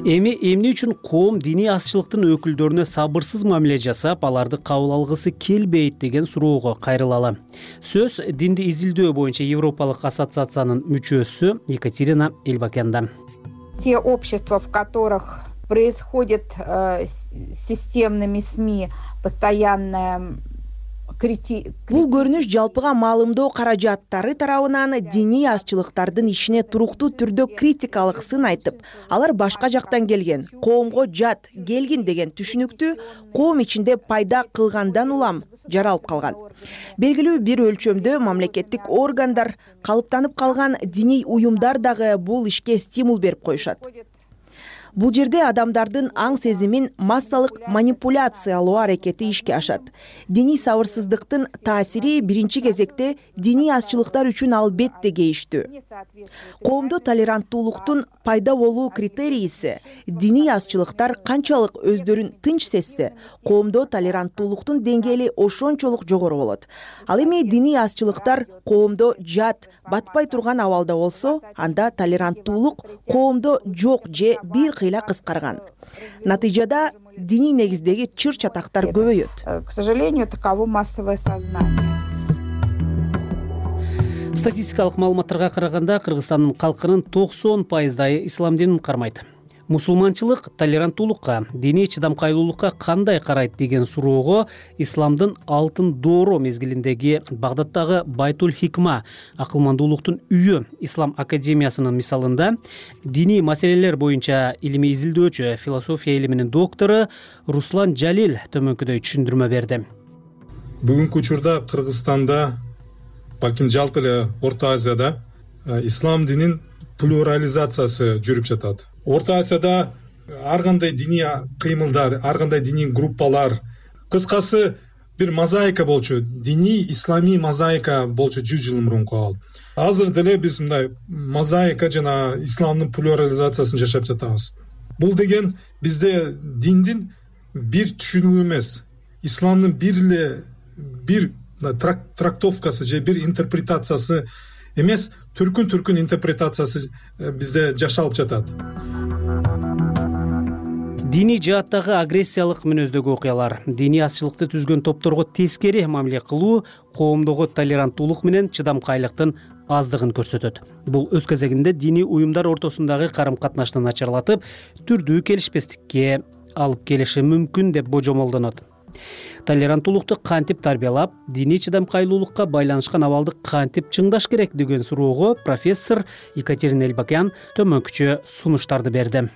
Эми эмне үчүн коом диний азчылыктын өкүлдөрүнө сабырсыз мамиле жасап, аларды кабыл алгысы келбейт деген суроого кайрылалы. Сөз динди изилдөө боюнча Европалык ассоциациянын мүчөсү Екатерина Эльбакянда. Те общества, в которых происходит системными СМИ постоянная Бул көрүнүш жалпыга маалымдоо каражаттары тарабынан диний азчылыктардын ишине туруктуу түрдө критикалык сын айтып, алар башка жактан келген, коомго жат келгин деген түшүнүктү коом ичинде пайда кылгандан улам жаралып калган. Белгилүү бир өлчөмдө мамлекеттик органдар, калыптанып калган диний уюмдар дагы бул ишке стимул берип коюшат. Бул жерде адамдардын аң сезимин массалык манипуляциялоо аракети ишке ашат. Диний сабырсыздыктын таасири биринчи кезекте диний азчылыктар үчүн албетте кейиштүү. Коомдо толеранттуулуктун пайда болуу критерийиси диний азчылыктар канчалык өздөрүн тынч сезсе, коомдо толеранттуулуктун деңгээли ошончолук жогору болот. Ал эми диний азчылыктар коомдо жат, батпай турган абалда болсо, анда толеранттуулук коомдо жок же бир кыйла кыскарган. Натыйжада диний негиздеги чыр-чатактар көбөйөт. К сожалению, таково массовое сознание. Статистикалык маалыматтарга караганда Кыргызстандын калкынын 90% ислам динин кармайт. Мусулманчылык толеранттуулукка, диний чыдамкайлуулукка кандай карайт деген суроого исламдын алтын доору мезгилиндеги Багдадтагы Байтул Хикма акылмандуулуктун үйү Ислам академиясынын мисалында диний маселелер боюнча илимий изилдөөчү, философия илиминин доктору Руслан Жалил төмөнкүдөй түшүндүрмө берди. Бүгүнкү учурда Кыргызстанда, балким жалпы эле Орто Азияда ислам динин плюрализациясы жүрүп жатат. Орто Азияда ар кандай диний кыймылдар, ар кандай диний группалар, кыскасы бир мозаика болчу, диний исламий мозаика болчу 100 жыл мурунку. Азыр деле биз мындай мозаика жана исламдын плюрализациясын жашап жатабыз. Бул деген бизде диндин бир түшүнүгү эмес, исламдын бир трактовкасы же бир интерпретациясы эмес, түркүн интерпретациясы бизде жашалып жатат. Диний жааттагы агрессиялык мүнөздөгү окуялар, диний азчылыкты түзгөн топторго тескери мамиле кылуу коомдогу толеранттуулук менен чыдамкайлыктын аздыгын көрсөтөт. Бул өз кезегинде диний уюмдар ортосундагы карым-катнашты начарлатып, түрдүү келишпестикке алып келиши мүмкүн деп божомолдонот. Толеранттуулукту кантип тарбиялап, диний чыдамкайлуулукка байланышкан абалды кантип чыңдаш керек деген суроого профессор Екатерина Эльбакян төмөнкүчө сунуштарды берди.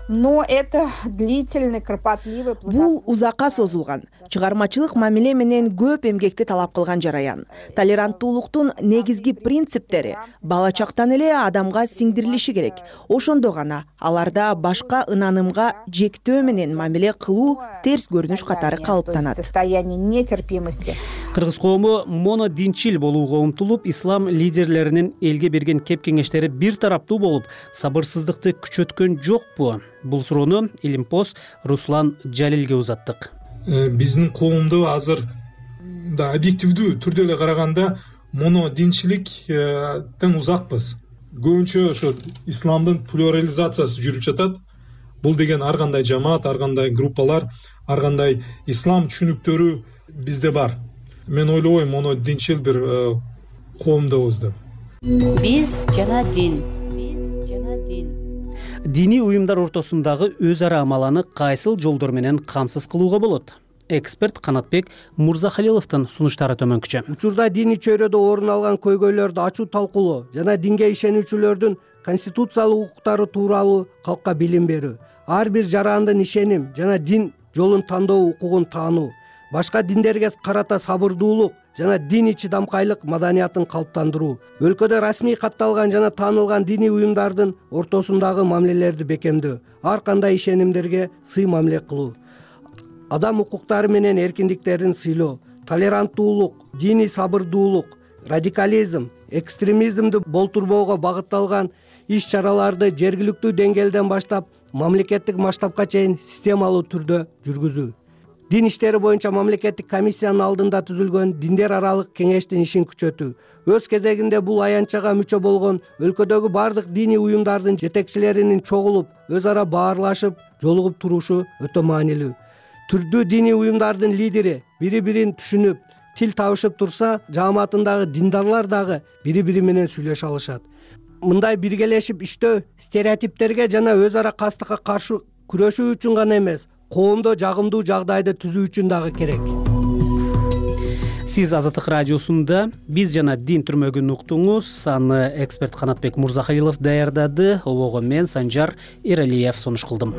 Но это длительный, кропотливый. Бул узакка созулган, чыгармачылык мамиле менен көп эмгекти талап кылган жараян. Толеранттуулуктун негизги принциптери бала чактан эле адамга сиңдирилиши керек. Ошондо гана аларда башка ынанымга жектөө менен мамиле кылуу терс көрүнүш катары калыптанат. Состояние нетерпимости. Кыргыз коому монодинчил болууга умтулуп, ислам лидерлеринин элге берген кеп кеңештери бир тараптуу болуп, сабырсыздыкты күчөткөн жокпу? Бул суроону Илимпоз Руслан Жалилге узаттык. Биздин коомдо азыр да объективдүү түрдө эле караганда монодинчиликтен узакпыз. Көбүнчө ошо исламдын плюрализациясы жүрүп жатат. Бул деген ар кандай жамаат, ар кандай группалар, ар кандай ислам түшүнүктөрү бизде бар. Мен ойлойм, монодинчил бир коомдобуз деп. Биз жана дин. диний уюмдар ортосундагы өз ара амаланы кайсыл жолдор менен камсыз кылууга болот? Эксперт Канатбек Мурзахалиловдун сунуштары төмөнкүчө. Учурда диний чөйрөдө орун алган көйгөйлөрдү ачуу талкуулоо жана динге ишенүүчүлөрдүн конституциялык укуктары тууралуу калкка билим берүү, ар бир жарандын ишеним жана дин жолун тандоо укугун таануу, башка диндерге карата сабырдуулук жана диний чыдамкайлык маданиятын калыптандыруу, өлкөдө расмий катталган жана таанылган диний уюмдардын ортосундагы мамилелерди бекемдөө, ар кандай ишенимдерге сый мамиле кылуу, адам укуктары менен эркиндиктерин сыйлоо, толеранттуулук, диний сабырдуулук, радикализм, экстремизмди болтурбоого багытталган иш-чараларды жергиликтүү деңгээлден баштап мамлекеттик масштабка чейин системалуу түрдө жүргүзүү. Дин иштери боюнча мамлекеттик комиссиянын алдында түзүлгөн диндер аралык кеңештин ишин күчөтүү. Өз кезегинде бул аянтчага мүчө болгон өлкөдөгү бардык диний уюмдардын жетекчилеринин чогулуп, өз ара баарлашып, жолугуп турушу өтө маанилүү. Түрдүү диний уюмдардын лидери бири-бирин түшүнүп, тил табышып турса, жааматындагы диндарлар дагы бири-бири менен сүйлөшө алышат. Мындай биргелешип иштөө стереотиптерге жана өз ара кастыкка каршы күрөшүү үчүн гана эмес, коомдо жагымдуу жагдайды түзүү үчүн дагы керек. Сиз Азаттык радиосунда биз жана дин түрмөгүн уктуңуз. Аны эксперт Канатбек Мурзахалилов даярдады. Обого мен Санжар Эралиев сунуш кылдым.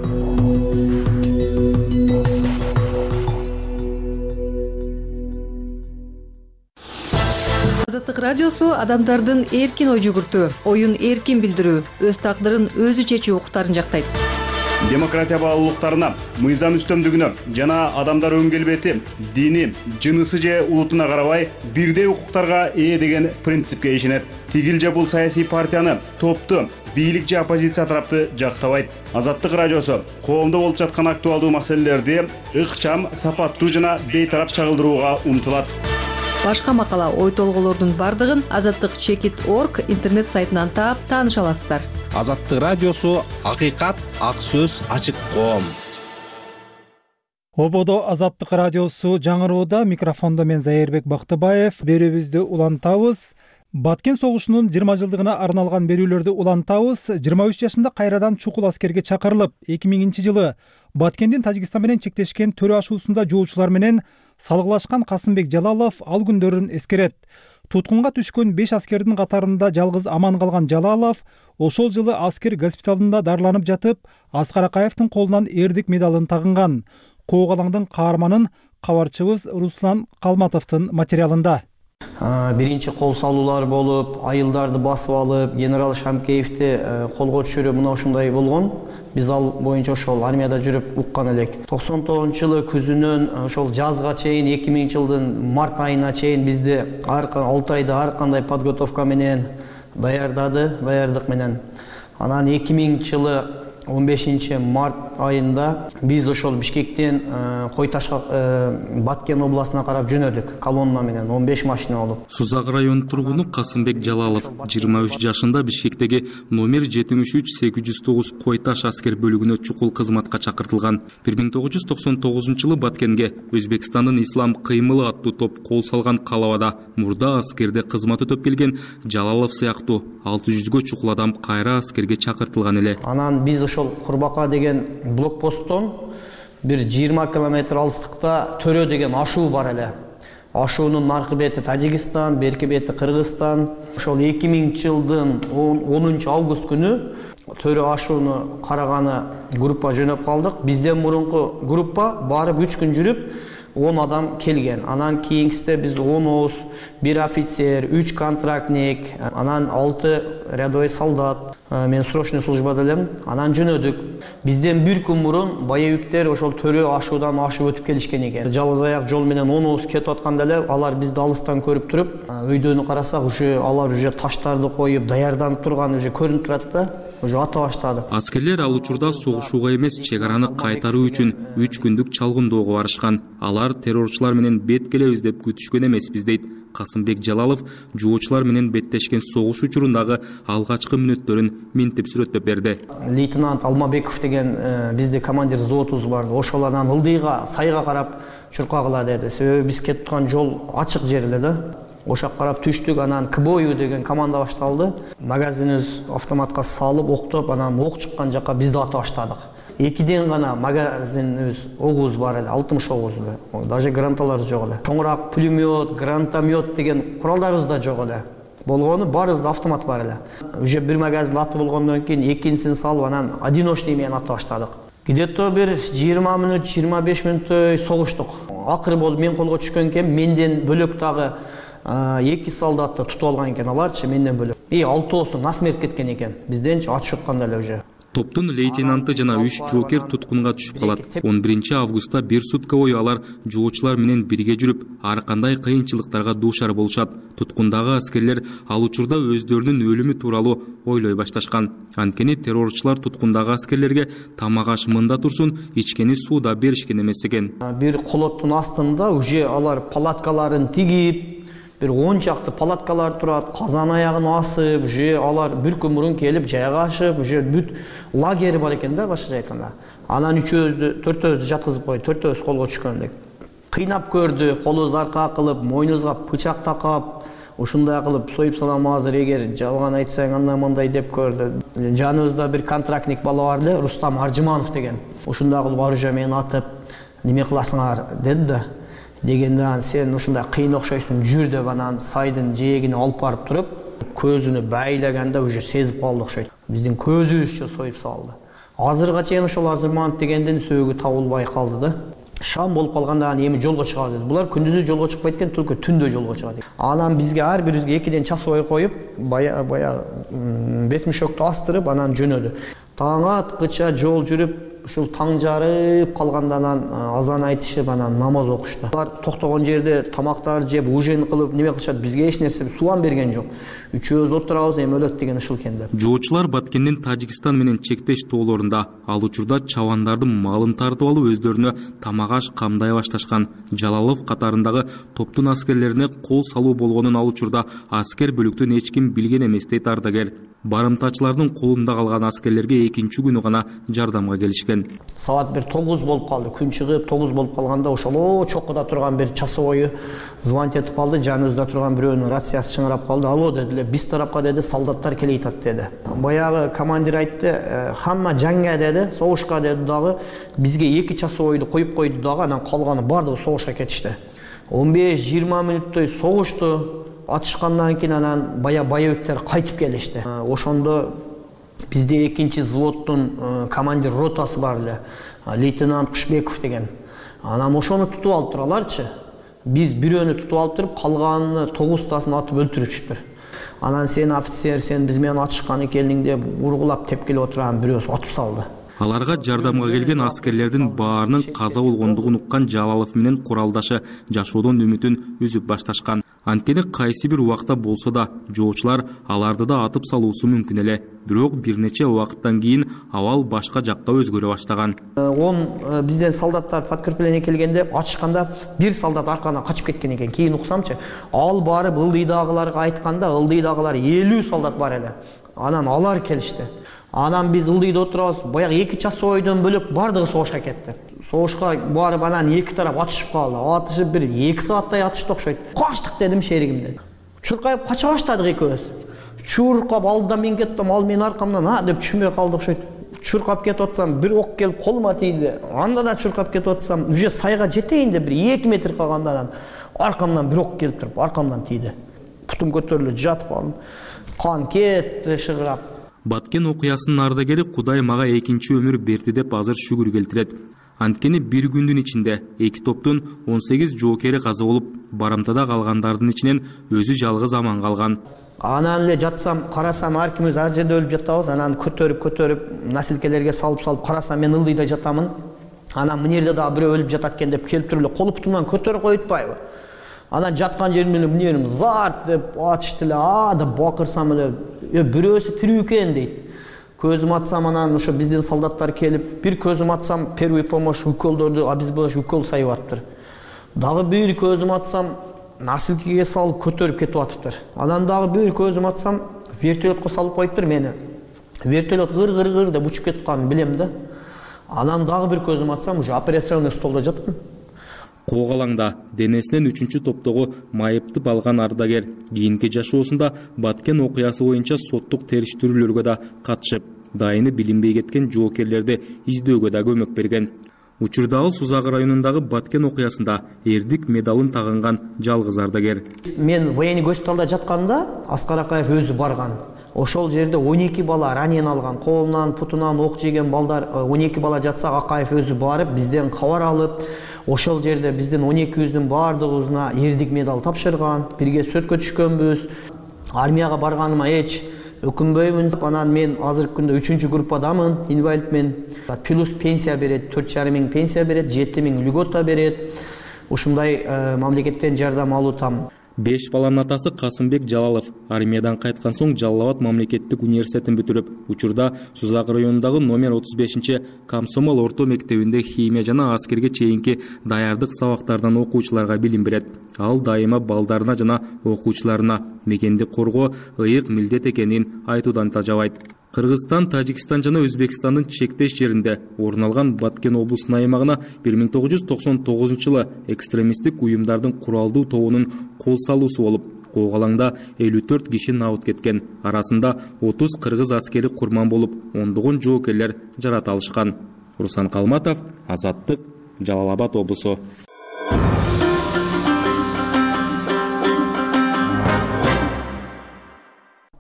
Азаттык радиосу адамдардын эркин ой жүгүртүү, оюн эркин билдирүү, өз тагдырын өзү чечүү укуктарын жактайт. Демократия баалуулуктарына, мыйзам үстөмдүгүнө жана адамдар өң келбети, дини, жынысы же улутуна карабай бирдей укуктарга ээ деген принципке ишенет. Тигил же бул саясий партияны, топту, бийлик же оппозиция тарапты жактабайт. Азаттык радиосу коомдо болуп жаткан актуалдуу маселелерди ыкчам, сапаттуу жана бейтарап чагылдырууга умтулат. Башка макала, ой толголордун бардыгын azattik.org интернет сайтынан таап тааныша аласыздар. Азаттык радиосу акыйкат, ак сөз, ачык коом. Ободо Азаттык радиосу жаңырууда, микрофондо мен Зайырбек Бактыбаев. Берүүбүздү улантабыз. Баткен согушунун 20 жылдыгына арналган берүүлөрдү улантабыз. 23 жашында кайрадан чукул аскерге чакырылып, 2000-жылы Баткендин Тажикстан менен чектешкен төрө ашуусунда жоочулар менен салгылашкан Касымбек Жалалов ал күндөрүн эскерет. Туткунга түшкөн 5 аскердин катарында жалгыз аман калган Жалалов ошол жылы аскер госпиталында дарыланып жатып, Аскар Акаевдин колунан эрдик медалын тагынган. Коогалаңдын каарманын кабарчыбыз Руслан Калматовдун материалында. Биринчи кол салуулар болуп, айылдарды басып алып, генерал Шамкеевди колго түшүрүү мына ушундай болгон. Биз ал боюнча ошол армияда жүрүп уккан элек. 99-жылы күзүнөн ошол жазга чейин, 2000-жылдын март айына чейин бизди 6 айда ар кандай подготовка менен даярдык менен. Анан 2000-жылы 15 март айында биз ошол Бишкектен Койташка Баткен областына карап жөнөдүк колонна менен 15 машина алып. Сузак районунун тургуну Касымбек Жалалов 23 жашында Бишкектеги номер 73809 Койташ аскер бөлүгүнө чукул кызматка чакыртылган. 1999-жылы Баткенге Өзбекстандын Ислам кыймылы аттуу топ кол салган калабада мурда аскерде кызмат өтөп келген Жалалов сыяктуу 600гө чукул адам кайра аскерге чакыртылган эле. Анан биз ошол Курбака деген блокпосттон бир 20 километр алыстыкта Төрө деген ашуу бар эле. Ашуунун наркы бети Тажикстан, берки бети Кыргызстан. Ошол 2000-жылдын 10 август күнү Төрө ашууну караганы группа жөнөп калдык. Бизден мурунку группа барып 3 күн жүрүп 10 адам келген. Анан кийинкисте биз 10 оз, 1 офицер, 3 контрактник, анан 6 рядовой солдат. Мен срочный службада элем. Анан жөнөдүк. Бизден бир күн мурун боевиктер ошол Төрө ашуудан ашып өтүп келишкен экен. Жалгыз аяк жол менен 10 оз кетип атканда эле алар бизди алыстан көрүп туруп, өйдөнү карасак, уже алар уже таштарды коюп, даярданып турганы уже көрүнүп турат да. Уже ата баштады. Аскерлер ал учурда согушууга эмес, чек араны кайтаруу үчүн 3 күндүк чалгындоого барышкан. Алар террорчулар менен бет келебиз деп күтүшкөн эмеспиз дейт Касымбек Жалалов. Жоочулар менен беттешкен согуш учурундагы алгачкы мүнөттөрүн минтип сүрөттөп берди. Лейтенант Алмабеков деген бизде командир взводубуз бар. Ошол анан ылдыйга, сайга карап чуркагыла деди. Себеби биз кетип турган жол ачык жер эле да. ошо карап түштүк. Анан КБОЮ деген команда башталды. Магазинибиз автоматка салып октоп, анан ок чыккан жака бизди ата баштадык. 2ден гана магазинибиз огуз бар эле, 60 огуз эле. Даже гранаталар жок эле. Чоңураак пулемет, гранатомет деген куралдарыбыз да жок эле. Болгону баарыбызда автомат бар эле. Уже бир магазин аты болгондон кийин экинчисин салып, анан одиночный менен ата баштадык. Где-то бир 20 мүнөт, 25 мүнөттөй согуштук. Акыры болуп мен колго түшкөн экен, менден бөлөк дагы 2 солдатты тутуп алган экен, аларчы менден бөлөк. 6оосу насмерть кеткен экен. Бизденчи атышып атканда эле уже. Топтун лейтенанты жана 3 жоокер туткунга түшүп калат. 11 августта 1 сутка бою алар жоочулар менен бирге жүрүп, ар кандай кыйынчылыктарга дуушар болушат. Туткундагы аскерлер ал учурда өздөрүнүн өлүмү тууралуу ойлой башташкан. Анткени террорчулар туткундагы аскерлерге тамак аш мында турсун, ичкени сууда беришкен эмес экен. Бир колоттун астында уже алар палаткаларын тигип, бир 10 чакты палаткалар турат, казан аягын асып, уже алар бир күн мурун келип жайгашып, уже бүт лагери бар экен да, башкача айтканда. Анан 4өөбүздү жаткызып койду, 4өөбүз колго түшкөндүк. Кыйнап көрдү, колубузду аркага кылып, мойнубузга пычак такап, ушундай кылып союп салам азыр эгер жалган айтсаң андай деп көрдү. Жаныбызда бир контрактник бала бар эле, Рустам Аржыманов деген. Ушундай кылып оружие менен атып, неме кыласыңар деди да. Дегенде сен ушундай кыйын окшойсуң, жүр деп анан сайдын жээгине алып барып туруп, көзүнө байлаганда уже сезип калды окшойт. Биздин көзүбүзчө союп салды. Азырга чейин ошол Аржыманов дегендин сөөгү табылбай калды да. Шам болуп калганда эми жолго чыгабыз деди. Булар күндүзү жолго чыкпайт экен, только түндө жолго чыгат. Анан бизге ар бирибизге 2ден часовой коюп, бая 5 мешокто астырып, анан жөнөдү. Таң аткыча жол жүрүп, ушул таң жарып калгандан азан айтышып, анан намаз окушту. Алар токтогон жерде тамактар жеп, ужин кылып, неме кылышат, бизге эч нерсе сулам берген жок. Үчөөбүз отурабыз, эми өлөт деген ушул экен деп. Жоочулар Баткендин Тажикстан менен чектеш тоолорунда ал учурда чабандардын малын тартып алып, өздөрүнө тамак аш камдай башташкан. Жалалов катарындагы топтун аскерлерине кол салуу болгонун ал учурда аскер бөлүктөн эч ким билген эмес дейт ардагер. Барымтачылардын колунда калган аскерлерге экинчи күнү гана жардамга келишкен. Саат 9 болуп калды, күн чыгып 9 болуп калганда ошол чоккуда турган бир часовой звонить этип калды, жаныбызда турган бирөөнүн рациясы чыңырап калды. Алло дедилер, биз тарапка деди, солдаттар келе жатат деди. Баягы командир айтты, хамма жаңга деди, согушка деди дагы, бизге 2 часовойду коюп койду дагы, анан калганы бардыгы согушка кетишти. 15-20 мүнөттөй согушту. Атышкандан кийин анан боевиктер кайтып келишти. Ошондо бизде экинчи взводдун командир ротасы бар эле, лейтенант Кушбеков деген. Анан ошону тутуп алыптыр аларчы. Биз бирөөнү тутуп алып туруп, калганын 9тасын атып өлтүрүпчүтүр. Анан сен офицер, сен биз менен атышкан экениң деп ургулап тепкилеп отурган бирөөсү атып салды. Аларга жардамга келген аскерлердин баарынын каза болгондугун уккан Жалалов менен куралдашы жашоодон үмүтүн үзүп башташкан. Анткени кайсы бир убакта болсо да жоочулар аларды да атып салуусу мүмкүн эле. Бирок бир нече убакыттан кийин абал башка жакка өзгөрө баштаган. Бизден солдаттар подкрепление келгенде атышканда бир солдат аркадан качып кеткен экен. Кийин уксамчы, ал барып ылдыйдагыларга айтканда, ылдыйдагылар 50 солдат бар эле. Анан алар келишти. Анан биз ылдыйда отурабыз, баягы 2 часовойдон бөлөк бардыгы согушка кетти. Согушка барып анан 2 тарап атышып калды. Атышып бир 2 сааттай атышты окшойт. Качтык дедим шеригимден. Чуркайып кача баштадык экөөбүз. Чуркап алдыдан мен кеттим, ал менин аркамдан деп түшүнбөй калды окшойт. Чуркап кетип атсам, бир ок келип колума тийди. Анда да чуркап кетип атсам, уже сайга жетейин деп бир 2 метр калганда аркамдан бир ок келип туруп, аркамдан тийди. Путум көтөрүлүп жатып калдым. Кан кетти шыгырап. Баткен окуясынын ардагери Кудай мага экинчи өмүр берди деп азыр шүгүр келтирет. Анткени бир күндүн ичинде 2 топтун 18 жоокери каза болуп, барымтада калгандардын ичинен өзү жалгыз аман калган. Анан эле жатсам, карасам ар кимибиз ар жерде өлүп жатабыз. Анан көтөрүп насилкелерге салып карасам мен ылдыйда жатамын. Анан мына жерде дагы бирөө өлүп жатат экен деп келип туруп эле кол бутумдан көтөрүп коюп атпайбы? Анан жаткан жеримден эле мына жерим зарт деп атышты эле, деп бакырсам эле бирөөсү тирүү экен дейт. Көзүм атсам анан ошо биздин солдаттар келип, бир көзүм атсам первый помощь уколдорду обезболивающий укол сайып атыптыр. Дагы бир көзүм атсам насилкеге салып көтөрүп кетип атыптыр. Анан дагы бир көзүм атсам вертолетко салып коюптур мени. Вертолет гыр деп учуп кетканын билем да. Анан дагы бир көзүм атсам уже операционный столдо жаткан. Коогалаңда денесинен 3-топтогу майыптып алган ардагер кийинки жашоосунда Баткен окуясы боюнча соттук териштирүүлөргө да катышып, дайыны билинбей кеткен жоокерлерди издөөгө да көмөк берген. Учурдагы Сузак районундагы Баткен окуясында эрдик медалын тагынган жалгыз ардагер. Мен военный госпиталда жатканда Аскар Акаев өзү барган. Ошол жерде 12 бала ранен алган, колунан, путунан ок жеген балдар 12 бала жатса, Акаев өзү барып, бизден кабар алып, ошол жерде биздин 12-үздүн баардыгыбызына эрдик медал тапшырган. Бирге сүрөткө түшкөнбүз. Армияга барганыма эч өкүнбөймүн. Анан мен азыркы күндө 3-группадамын, инвалидмен. Плюс пенсия берет, 4,5 миң пенсия берет, 7 миң льгота берет. Ушундай мамлекеттен жардам алуутам. 5 баланын атасы Касымбек Жалалов армиядан кайткан соң Жалал Абад мамлекеттик университетин бүтүрүп, учурда Сузак районундагы номер 35 Комсомол орто мектебинде химия жана аскерге чейинки даярдык сабактарынан окуучуларга билим берет. Ал дайыма балдарына жана окуучуларына мекенди коргоо ыйык милдет экенин айтуудан тажабайт. Кыргызстан, Тажикстан жана Өзбекстандын чектеш жеринде орун алган Баткен облусунун аймагына 1999-жылы экстремисттик уюмдардын куралдуу тобунун кол салуусу болуп, Коогалаңда 54 киши набыт кеткен. Арасында 30 кыргыз аскери курман болуп, ондогон жоокерлер жарат алышкан. Руслан Калматов, Азаттык, Жалал Абад облусу.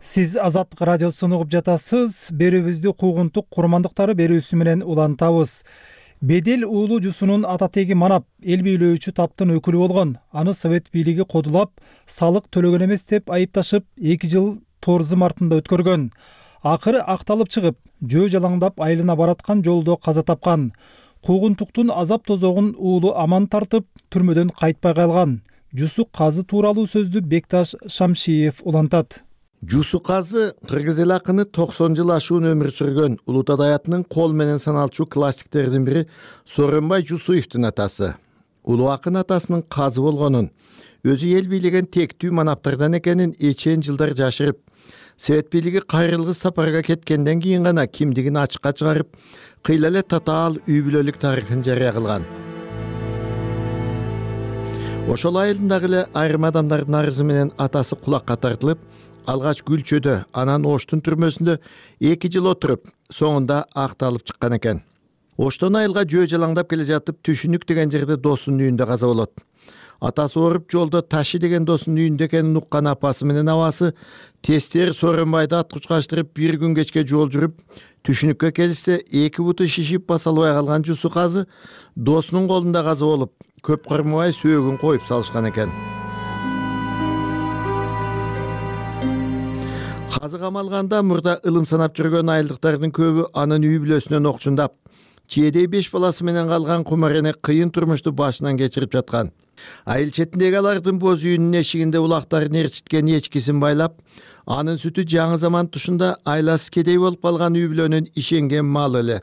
Сиз Азаттык радиосун угуп жатасыз. Берүүбүздү куугунтук курмандыктары берүүсү менен улантабыз. Бедел уулу Жусунун ата теги манап, эл бийлөөчү таптын өкүлү болгон. Аны Совет бийлиги кодулап, салык төлөгөн эмес деп айыпташып, 2 жыл Торзым артында өткөргөн. Акыры акталып чыгып, жөө жалаңдап айылына бараткан жолдо каза тапкан. Куугунтуктун азап тозогун уулу аман тартып, түрмөдөн кайтпай калган. Жусу казы тууралуу сөздү Бекташ Шамшиев улантат. Жусу казы кыргыз эл акыны 90 жыл ашуун өмүр сүргөн Улут Адаятынын кол менен саналчу классиктердин бири Сооронбай Жусуевдин атасы. Улуу акын атасынын казы болгонун, өзү эл бийлеген тектүү манаптардан экенин эчен жылдар жашырып, Совет бийлиги кайрылгыс сапарга кеткенден кийин гана кимдигин ачыкка чыгарып, кыйла эле татаал үй бүлөлүк тарыхын жарыя кылган. Ошол айылдагы эле айрым адамдардын арызы менен атасы кулакка тартылып, алгач Гүлчөдө, анан Оштун түрмөсүндө 2 жыл отуруп, соңунда акталып чыккан экен. Оштон айылга жөө жалаңдап келе жатып, Түшүнүк деген жерде досунун үйүндө каза болот. Атасы ооруп жолдо Таши деген досунун үйүндө экенин уккан апасы менен абасы тестер Сооронбайды аткучкаштырып 1 күн кечке жол жүрүп, Түшүнүккө келишсе 2 буту шишип баса албай калган Жусу казы досунун колунда каза болуп, көп кармабай сөөгүн коюп салышкан экен. Казы камалганда мурда ылым санап жүргөн айылдыктардын көбү анын үй бүлөсүнөн окчундап, чээдей 5 баласы менен калган кумарене кыйын турмушту башынан кечирип жаткан. Айыл четиндеги алардын боз үйүнүн эшигинде улактарын ээрчиткен эчкисин байлап, анын сүтү жаңы заман тушунда айласы кедей болуп калган үй бүлөнүн ишенген малы эле.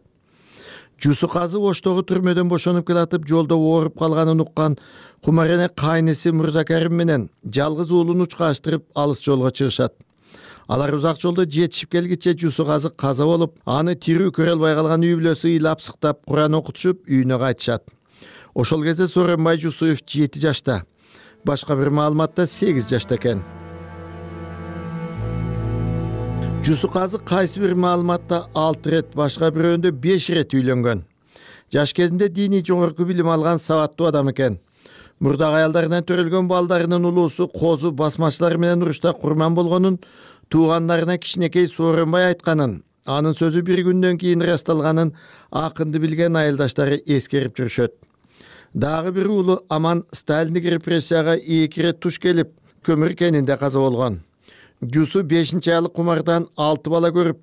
Жусу казы Оштогу түрмөдөн бошонуп келатып, жолдо ооруп калганын уккан кумарене кайнысы Мырзакарим менен жалгыз уулун учкаштырып алыс жолго чыгышат. Алар узак жолдо жетишип келгиче Жусу казы каза болуп, аны тирүү көрө албай калган үй бүлөсү ыйлап сыктап Куран окутушуп үйүнө кайтышат. Ошол кезде Сооронбай Жусуев 7 жашта, башка бир маалыматта 8 жашта экен. Жусу казы кайсы бир маалыматта 6 рет, башка бирөөндө 5 рет үйлөнгөн. Жаш кезинде диний жогорку билим алган сабаттуу адам экен. Мурдагы аялдарынан төрөлгөн балдарынын улуусу козу басмачылар менен урушта курман болгонун туугандарына кичинекей Сооронбай айтканын, анын сөзү 1 күндөн кийин ырасталганын акынды билген айылдаштары эскерип жүрүшөт. Дагы бир уулу Аман Сталиндик репрессияга 2 рет туш келип, көмүр кенинде каза болгон. Жусу 5-нчи айлык кумардан 6 бала көрүп,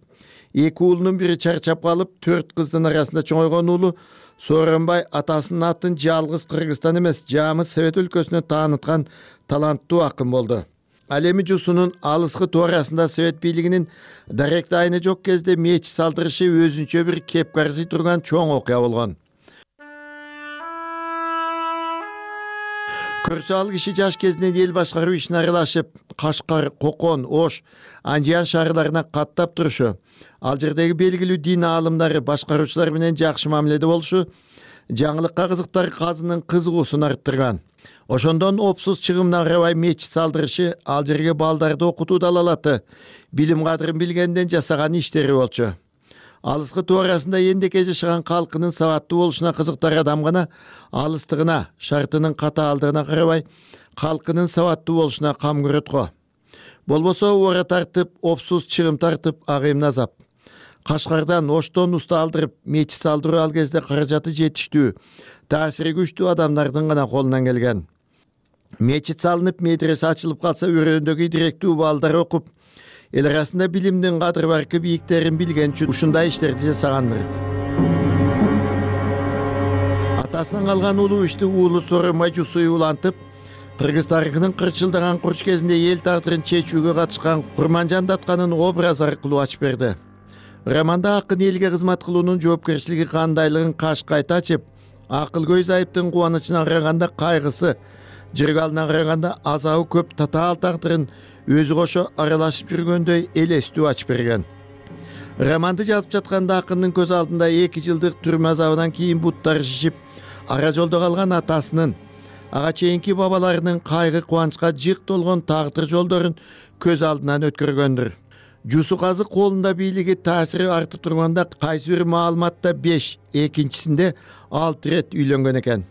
2 уулунун бири чарчап калып, 4 кыздын арасында чоңойгон уулу Сооронбай атасынын атын жалгыз Кыргызстан эмес, жамы Совет өлкөсүнө тааныткан таланттуу акын болду. Ал эми Жусунун алыскы туурасында Совет бийлигинин даректи айны жок кезде мечит салдырышы өзүнчө бир кеп карзый турган чоң окуя болгон. Көрсө ал киши жаш кезинен эл башкаруу ишине аралашып, Кашкар, Кокон, Ош, Анжиян шаарларына каттап турушу, ал жердеги белгилүү дин аалымдары, башкаруучулар менен жакшы мамиледе болушу, жаңылыкка кызыктар казынын кызыгуусун арттырган. Ошондон опсуз чыгымына карабай мечит салдырышы ал жерге балдарды окутуу далалаты билим кадырын билгенден жасаган иштери болчу. Алыскы туурасында эндеке жашаган калкынын сабаттуу болушуна кызыктар адам гана алыстыгына, шартынын катаалдыгына карабай калкынын сабаттуу болушуна кам көрөт го. Болбосо ора тартып, опсуз чыгым тартып агайым азап. Кашкардан, Оштон уста алдырып, мечит салдыруу ал кезде каражаты жетиштүү, таасири күчтүү адамдардын гана колунан келген. Мечит салынып, медресе ачылып калса, өрөөндөгү директүү балдар окуп, эл арасында билимдин кадыр баркы бийиктерин билген үчүн ушундай иштерди жасагандыр. Атасынан калган улуу ишти уулу Сооронбай Жусуев улантып, кыргыз тарыхынын кырчылдаган курч кезинде эл тагдырын чечүүгө катышкан Курманжан Датканын образы аркылуу ачып берди. Романда акын элге кызмат кылуунун жоопкерчилиги кандайлыгын кашкайта ачып, акыл көз айыптын кубанычына караганда кайгысы, жыргалына караганда азабы көп татаал тагдырын өзү кошо аралашып жүргөндөй элестүү ачып берген. Романды жазып жатканда акындын көз алдында 2 жылдык түрмө азабынан кийин буттары шишип, ара жолдо калган атасынын, ага чейинки бабаларынын кайгы кубанычка жык толгон тагдыр жолдорун көз алдынан өткөргөндүр. Жусу казы колунда бийлиги таасири артып турганда кайсы бир маалыматта 5, экинчисинде 6 рет үйлөнгөн экен.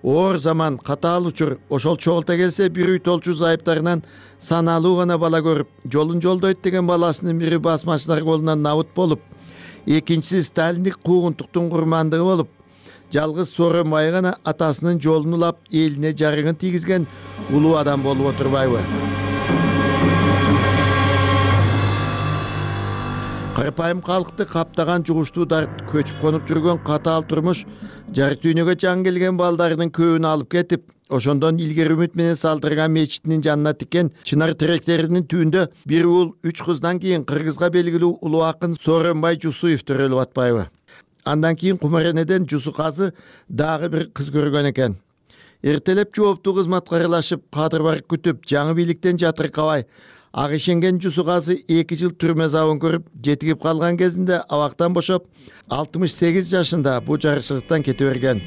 Оор заман, катаал учур, ошол чогулта келсе бир үй толчу зайыптарынан саналуу гана бала көрүп, жолун жолдойт деген баласынын бири басмачылар колунан набыт болуп, экинчиси сталиндик куугунтуктун курмандыгы болуп, жалгыз Сооронбай гана атасынын жолун улап, элине жарыгын тийгизген улуу адам болуп отурбайбы? Карапайым калкты каптаган жугуштуу дарт, көчүп конуп жүргөн катаал турмуш, жарык дүйнөгө жан келген балдарынын көбүн алып кетип, ошондон илгери үмүт менен салдырган мечитинин жанына тиккен чынар теректеринин түбүндө бир уул 3 кыздан кийин кыргызга белгилүү улуу акын Сооронбай Жусуев төрөлүп атпайбы? Андан кийин Кумаренеден Жусу казы дагы бир кыз көргөн экен. Эртелеп жооптуу кызматка аралашып, кадыр барып күтүп, жаңы бийликтен жатыркабай, ак ишенген Жусу казы 2 жыл түрмө азабын көрүп, жетигип калган кезинде абактан бошоп, 68 жашында бул жарыкчылыктан кете берген.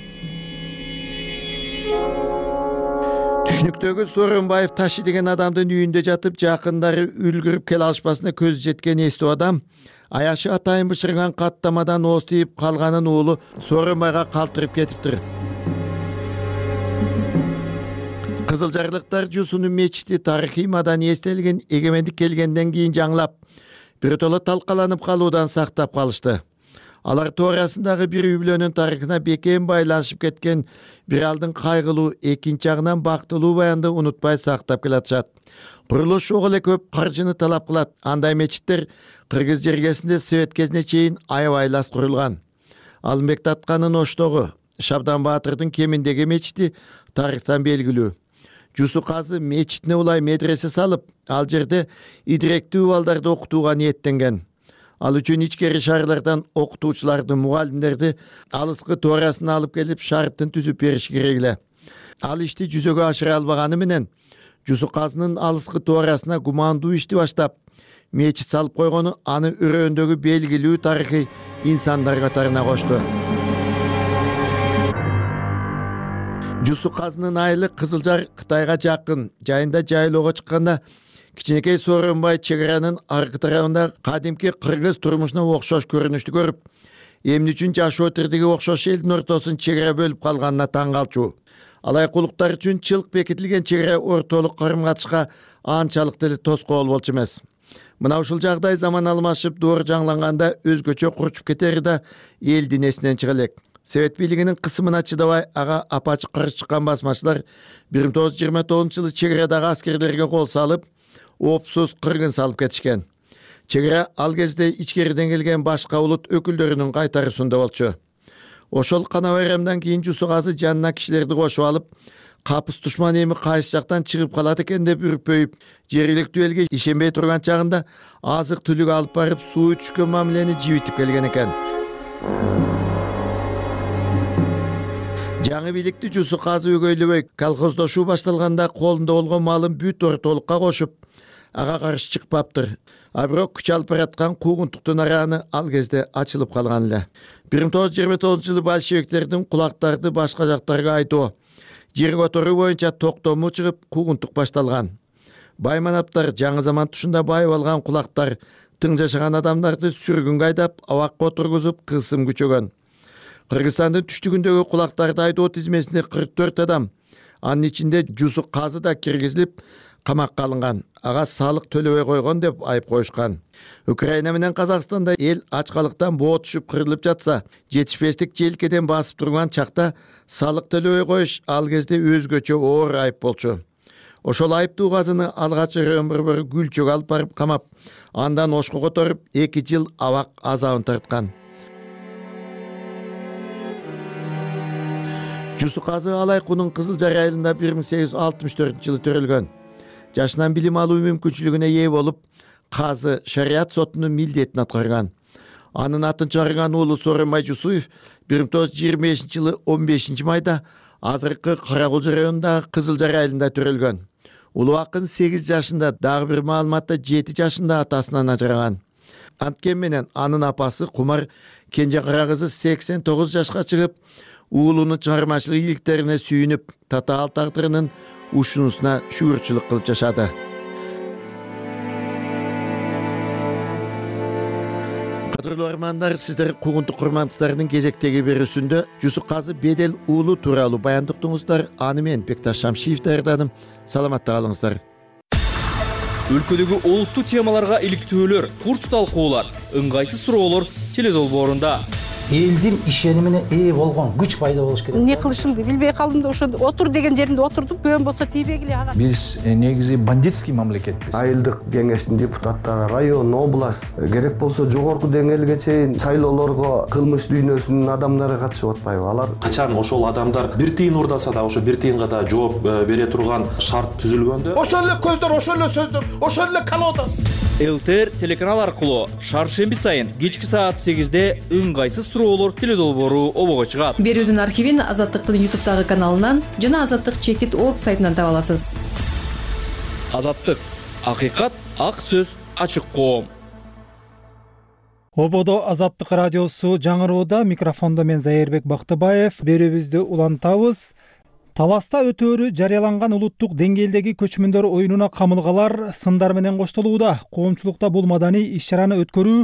Түшүнүктөгү Сооронбаев Ташы деген адамдын үйүндө жатып, жакындары үлгүрүп келе алышпасына көзү жеткен эстүү адам, аяшы атайын бышырган каттамадан ооз тийип калганын уулу Сооронбайга калтырып кетиптир. Кызылжарлыктар Жусунун мечити тарыхый маданий эстелигин эгемендик келгенден кийин жаңылап, биротоло талкаланып калуудан сактап калышты. Алар туурасындагы бир үй бүлөнүн тарыхына бекем байланышып кеткен бир алдын кайгылуу, экинчи жагынан бактылуу баянды унутпай сактап келатышат. Курулуш ого эле көп каржыны талап кылат. Андай мечиттер кыргыз жергесинде Совет кезине чейин аябайлас курулган. Алымбек Татканын Оштогу, Шабдан Баатырдын Кеминдеги мечити тарыхтан белгилүү. Жусу казы мечитине улай медресе салып, ал жерде идиректүү балдарды окутууга ниеттенген. Ал үчүн ичкери шаарлардан окутуучуларды, мугалимдерди алыскы туурасына алып келип, шарттын түзүп бериш керек эле. Ал ишти жүзөгө ашыра албаганы менен Жусу казынын алыскы туурасына гумандуу ишти баштап, мечит салып койгону аны өрөөндөгү белгилүү тарыхый инсандар катарына кошту. Жусу казынын айылы Кызылжар Кытайга жакын, жайында жайлоого чыкканда кичинекей Сооронбай чек аранын аркы тарабында кадимки кыргыз турмушуна окшош көрүнүштү көрүп, эмне үчүн жашоо тирдиги окшош элдин ортосун чек ара бөлүп калганына таң калчу. Алайкулуктар үчүн чылк бекитилген чек ара ортолук карым-катышка анчалык деле тоскоол болчу эмес. Мына ушул жагдай заман алмашып, доор жаңланганда өзгөчө курчуп кетери да элдин эсинен чыга элек. Совет бийлигинин кысымына чыдабай, ага апачы каршы чыккан басмачылар 1929-жылы чек арадагы аскерлерге кол салып, опсуз кыргын салып кетишкен. Чек ара ал кезде ичкериден келген башка улут өкүлдөрүнүн кайтаруусунда болчу. Ошол кана байрамдан кийин Жусу казы жанына кишилерди кошуп алып, капыс душман эми кайсы жактан чыгып калат экен деп үрпөйүп, жергиликтүү элге ишенбей турган чагында азык түлүк алып барып, суу түшкөн мамилени жибитип келген экен. Жаңы бийликти Жусу казы өгөйлөбөй, колхоздошуу башталганда колунда болгон малын бүт ортолукка кошуп, ага каршы чыкпаптыр. А бирок күч алып бараткан куугунтуктун арааны ал кезде ачылып калган эле. 1929-жылы большевиктердин кулактарды башка жактарга айдоо, жер которуу боюнча токтому чыгып куугунтук башталган. Байманаптар жаңы заман тушунда байып алган кулактар тың жашаган адамдарды сүргүнгө айдап, абакка отургузуп кысым күчөгөн. Кыргызстандын түштүгүндөгү кулактарды айдоо тизмесинде 44 адам, анын ичинде Жусук Казы да киргизилип, камакка алынган. Ага салык төлөбөй койгон деп айып коюшкан. Украина менен Казакстанда эл ачкалыктан боо түшүп кырылып жатса, жетишпестик желкеден басып турган чакта салык төлөбөй коюш ал кезде өзгөчө оор айып болчу. Ошол айыптуу Казыны алгач бір гүлчөгө алып барып камап, андан ошко которуп 2 жыл абак азабын тарткан. Жусук Казы Алайкунун Кызыл Жар айылында 1864-жылы төрөлгөн. Жашынан билим алуу мүмкүнчүлүгүнө ээ болуп, Казы шарият сотунун милдетин аткарган. Анын атын чыгарган уулу Сооронбай Жусуев 1925-жылы 15 майда азыркы Карагулжу районундагы Кызыл Жар айылында төрөлгөн. Улуу акын 8 жашында, дагы бир маалыматта 7 жашында атасынан ажыраган. Анткени менен анын апасы Кумар кенже кара кызы 89 жашка чыгып, уулунун чыгармачылык ийгиликтерине сүйүнүп, татаал тагдырынын ушунусуна шүгүрчүлүк кылып жашады. Кадырлуу армандар, сиздер куугунтук курмандыктарынын кезектеги берүүсүндө Жусук Казы Бедел уулу тууралуу баяндыктыңыздар. Аны мен Бекташ Шамшиев даярдадым. Саламатта калыңыздар. Өлкөдөгү олуттуу темаларга иликтөөлөр, курч талкуулар, ыңгайсыз суроолор теледолбоорунда. Элдин ишенимине ээ болгон күч пайда болуш керек. Не кылышымды билбей калдым да ошо отур деген жеримде отурдум. Көбөн болсо тийбегиле ага. Биз негизи бандитский мамлекетпиз. Айылдык кеңештин депутаттары, район, область, керек болсо жогорку деңгээлге чейин шайлоолорго кылмыш дүйнөсүнүн адамдары катышып атпайбы? Алар качан ошол адамдар бир тыйын урдаса да ошо бир тыйынга да жооп бере турган шарт түзүлгөндө, ошол эле көздөр, ошол эле сөздөр, ошол эле колода. ЛТР телеканал аркылуу шаршемби сайын кечки саат 8-де ыңгайсыз суроолор теледолбоору обого чыгат. Берүүдүн архивин Азаттыктын YouTube каналынан жана azattik.org сайтынан таба аласыз. Азаттык, акыйкат, ак сөз, ачык коом. Ободо Азаттык радиосу жаңырууда, микрофондо мен Зайырбек Бактыбаев. Берүүбүздү улантабыз. Таласта өтөөрү жарыяланган улуттук деңгээлдеги көчмөндөр оюнуна камылгалар сындар менен коштолууда. Коомчулукта бул маданий иш-чараны өткөрүү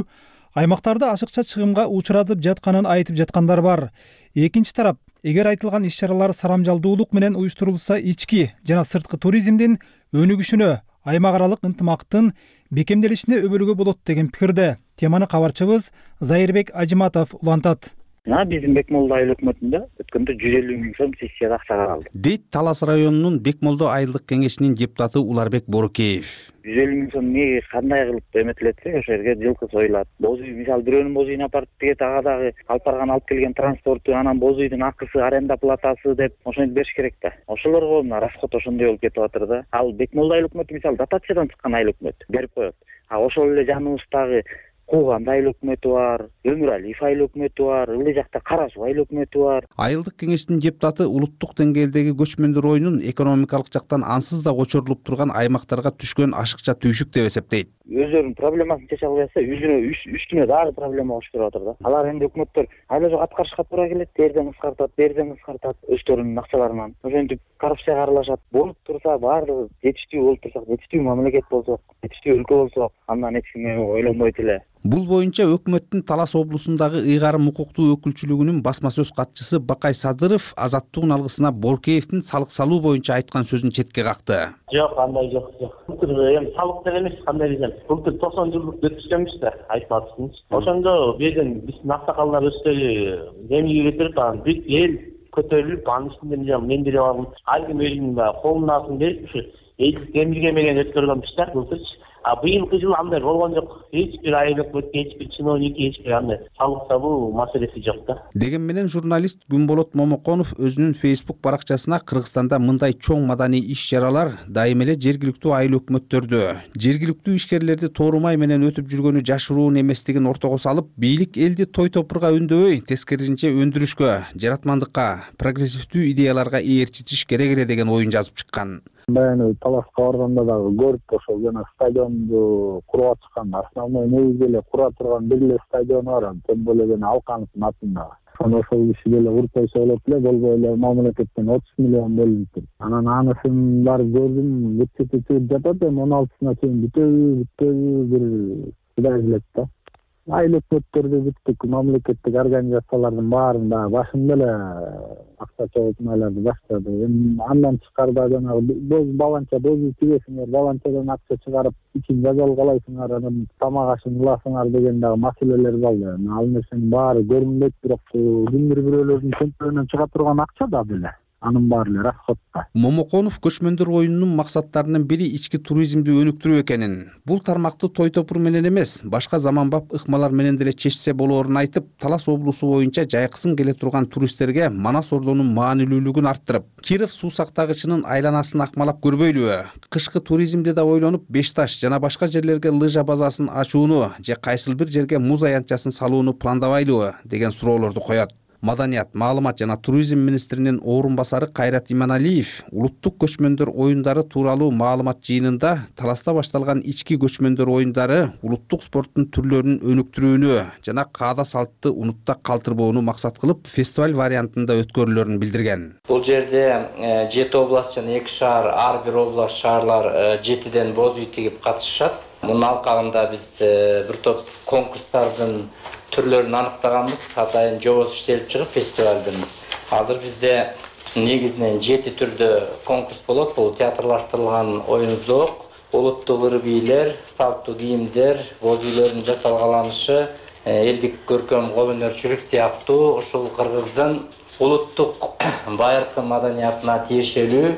аймактарды ашыкча чыгымга учуратып жатканын айтып жаткандар бар. Экинчи тарап, эгер айтылган иш-чаралар сарамжалдуулук менен уюштурулса, ички жана сырткы туризмдин өнүгүшүнө, аймак аралык ынтымактын бекемделишине өбөлгө болот деген пикирде. Теманы кабарчыбыз Зайырбек Ажиматов улантат. Биздин Бекмолдо айыл өкмөтүндө өткөндө 150 миң сом сессияда акча каралды. Дейт Талас районунун Бекмолдо айылдык кеңешинин депутаты Уларбек Борукеев. 150 миң сом эмнеге кандай кылып эметилетсе, ошол жерге жылкы союлат. Боз үй, мисалы бирөөнүн боз үйүн апарып тиге ага дагы алып барган алып келген транспорту, анан боз үйдүн акысы, аренда платасы деп ошону бериш керек да. Ошолорго расход ошондой болуп кетип атыр да. Ал Бекмолдо айыл өкмөтү мисалы дотациядан чыккан айыл өкмөт берип коет. Ошол эле жаныбыздагы Кууганда айыл өкмөтү бар, Өмүралиев айыл өкмөтү бар, ылдый жакта Кара Суу айыл өкмөтү бар. Айылдык кеңештин депутаты улуттук деңгээлдеги көчмөндөр оюнун экономикалык жактан ансыз да очорулуп турган аймактарга түшкөн ашыкча түйшүк деп эсептейт. Өздөрүнүн проблемасын чече албай атса, үстүнө дагы проблема болуштуруп атыр да. Алар энди өкмөттөр айла жок аткарышка туура келет, берден кыскартат өздөрүнүн акчаларынан. Ошентип коррупцияга аралашат. Болуп турса баардыгы жетиштүү болуп турсак, жетиштүү мамлекет болсок, жетиштүү өлкө болсок, андан эч ким ойлонбойт эле. Бул боюнча өкмөттүн Талас облусундагы ыйгарым укуктуу өкүлчүлүгүнүн басма сөз катчысы Бакай Садыров азаттыктын алгысына Боркеевдин салык салуу боюнча айткан сөзүн четке какты. Жок, андай жок. Былтыр эми салык деле эмес, кандай десем, былтыр 90 жылдык өткүзгөнбүз да, айтып атышсыз. Ошондо биздин аксакалдар өздөрү земиге кетирип, анан бүт эл көтөрүлүп, анын ичинде мен деле баргым. Ар ким өзүнүн колунун астын берип, ушу элдик земиге менен өткөргөнбүз былтырчы. Быйылкы жылы андай болгон жок. Эч бир айыл өкмөтү, эч бир чиновник, эч бир андай салык салуу маселеси жок да. Деген менен журналист Күнболот Момоконов өзүнүн Facebook баракчасына Кыргызстанда мындай чоң маданий иш-чаралар дайым эле жергиликтүү айыл өкмөттөрдө, жергиликтүү ишкерлерди тоорумай менен өтүп жүргөнү жашыруун эместигин ортого салып, бийлик элди той топурга өндөбөй, тескерисинче өндүрүшкө, жаратмандыкка, прогрессивдүү идеяларга ээрчитиш керек эле деген оюн жазып чыккан. Баягы Таласка барганда дагы көрүп ошол жана стадионду куруп атышкан, основной негизги эле кура турган бир эле стадион бар, тем более жана Алкановдун атында. Ошол киши деле куруп койсо болот эле, болбой эле мамлекеттен 30 миллион бөлүнүптүр. Анан анысын барып көрдүм, бутчети чыгып жатат, эми 16-сына чейин бүтөбү бир Кудай билет да. Айыл өкмөттөрдү бүттүк, мамлекеттик организациялардын баарында башында эле акча чогултмаларды баштады. Эми андан тышкарыда жанагы баланча бозу тигесиңер, баланчадан акча чыгарып, ичин жазалгалайсыңар, анан тамак ашын ыласыңар деген дагы маселелер калды. Ал нерсенин баары көрүнбөйт, бирок кимдир бирөөлөрдүн чөнтөгүнөн чыга турган акча да беле. Анын баары эле расходто. Момоконов көчмөндөр оюнунун максаттарынын бири ички туризмди өнүктүрүү экенин, бул тармакты той топур менен эмес, башка заманбап ыкмалар менен деле чечсе болоорун айтып, Талас облусу боюнча жайкысын келе турган туристтерге Манас ордонун маанилүүлүгүн арттырып, Киров суу сактагычынын айланасын акмалап көрбөйлүбү, кышкы туризмди да ойлонуп, Бешташ жана башка жерлерге лыжа базасын ачууну же кайсыл бир жерге муз аянтчасын салууну пландабайлыбы деген суроолорду коет. Маданият, маалымат жана туризм министринин орун басары Кайрат Иманалиев улуттук көчмөндөр оюндары тууралуу маалымат жыйынында Таласта башталган ички көчмөндөр оюндары улуттук спорттун түрлөрүн өнүктүрүүнү жана каада салтты унутта калтырбоону максат кылып, фестиваль вариантында өткөрүлөрүн билдирген. Бул жерде 7 област жана 2 шаар, ар бир област шаарлар 7ден боз үй тигип катышышат. Мунун алкагында биз бир топ конкурстардын түрлөрүн аныктаганбыз. Атайын жобосу иштелип чыгып фестивалдын. Азыр бизде негизинен 7 түрдө конкурс болот. Бул театрлаштырылган оюн-зоок, улуттук ыр-бийлер, салттуу кийимдер, боз үйлөрдүн жасалгаланышы, элдик көркөм кол өнөрчүлүк сыяктуу ушул Кыргыздын улуттук байыркы маданиятына тиешелүү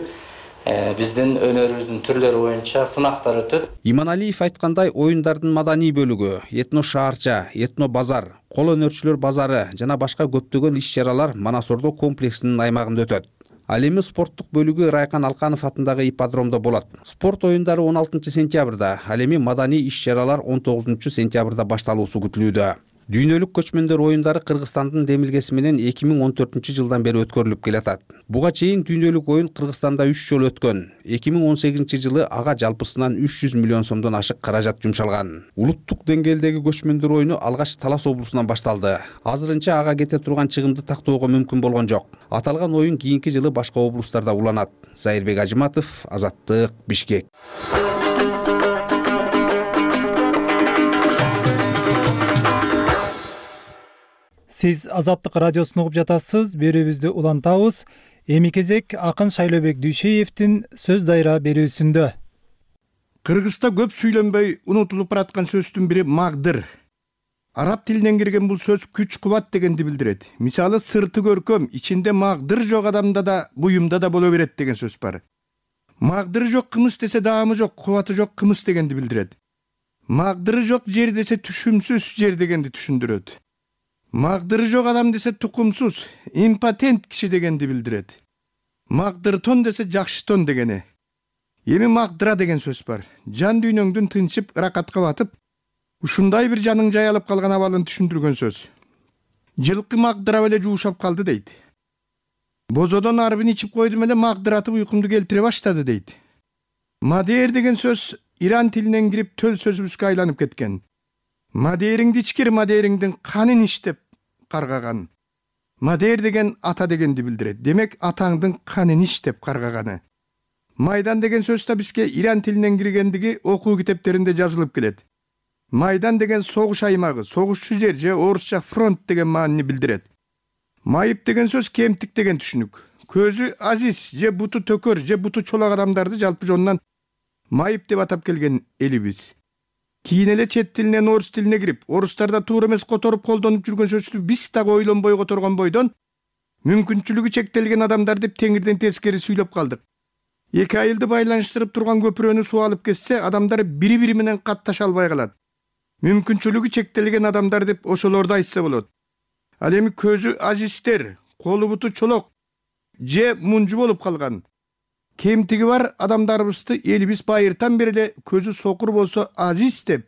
биздин өнөрүбүздүн түрлөрү боюнча сынактар өтөт. Иманалиев айткандай, оюндардын маданий бөлүгү, этно шаарча, этно базар, кол өнөрчүлөр базары жана башка көптөгөн иш-чаралар Манас ордо комплексинин аймагында өтөт. Ал эми спорттук бөлүгү Райкан Алканов атындагы ипподромдо болот. Спорт оюндары 16 сентябрда, ал эми маданий иш-чаралар 19 сентябрда башталуусу күтүлүүдө. Дүйнөлүк көчмөндөр оюндары Кыргызстандын демилгеси менен 2014 жылдан бери өткөрүлүп келатат. Буга чейин дүйнөлүк оюн Кыргызстанда 3 жолу өткөн. 2018 жылы ага жалпысынан 300 миллион сомдон ашык каражат жумшалган. Улуттук деңгээлдеги көчмөндөр оюну алгач Талас облусунан башталды. Азырынча ага кете турган чыгымды тактоого мүмкүн болгон жок. Аталган оюн кийинки жылы башка облустарда уланат. Зайырбек Ажыматов, Азаттык, Бишкек. Сиз Азаттык радиосун угуп жатасыз, берүүбүздү улантабыз. Эми кезек акын Шайлообек Дүйшеевдин сөз дайра берүүсүндө. Кыргызда көп сүйлөнбөй унутулуп бараткан сөздүн бири магдыр. Араб тилинен кирген бул сөз күч кубат дегенди билдирет. Мисалы сырты көркөм, ичинде магдыр жок адамда да, буюмда да боло берет деген сөз бар. Магдыры жок кымыз десе даамы жок, кубаты жок кымыз дегенди билдирет. Магдыры жок жер десе түшүмсүз жер дегенди түшүндүрөт. Магдыры жок адам десе тукумсуз, импотент киши дегенди билдирет. Магдыртон десе жакшы тон дегени. Эми магдыра деген сөз бар. Жан дүйнөңдүн тынчып, ыракатка батып, ушундай бир жаның жаялып калган абалын түшүндүргөн сөз. Жылкы магдырап эле жуушап калды дейт. Бозодон арбын ичип койдум эле магдыратып уйкумду келтире баштады дейт. Мадер деген сөз Иран тилинен кирип төл сөзүбүзгө айланып кеткен. Мадериңди ичкир, мадериңдин канын иштеп каргаган. Мадер деген ата дегенди билдирет. Демек атаңдын канын иштеп каргаганы. Майдан деген сөз да бизге Иран тилинен киргендиги окуу китептеринде жазылып келет. Майдан деген согуш аймагы, согушчу жер же орусча фронт деген маанини билдирет. Майып деген сөз кемтик деген түшүнүк. Көзү азиз же буту төкөр же буту чолак адамдарды жалпы жонунан майып деп атап келген элибиз. Кийин эле чет тилинен орус тилине кирип, орустарда туура эмес которуп колдонуп жүргөн сөздү биз дагы ойлонбой которгон бойдон мүмкүнчүлүгү чектелген адамдар деп теңирден тескери сүйлөп калдык. Эки айылды байланыштырып турган көпүрөнү суу алып кетсе, адамдар бири-бири менен катташа албай калат. Мүмкүнчүлүгү чектелген адамдар деп ошолорду айтса болот. Ал эми көзү азиздер, колу буту чолок же мунжу болуп калган. Кемтиги бар адамдарыбызды элибиз байыртан бери эле көзү сокур болсо азиз деп,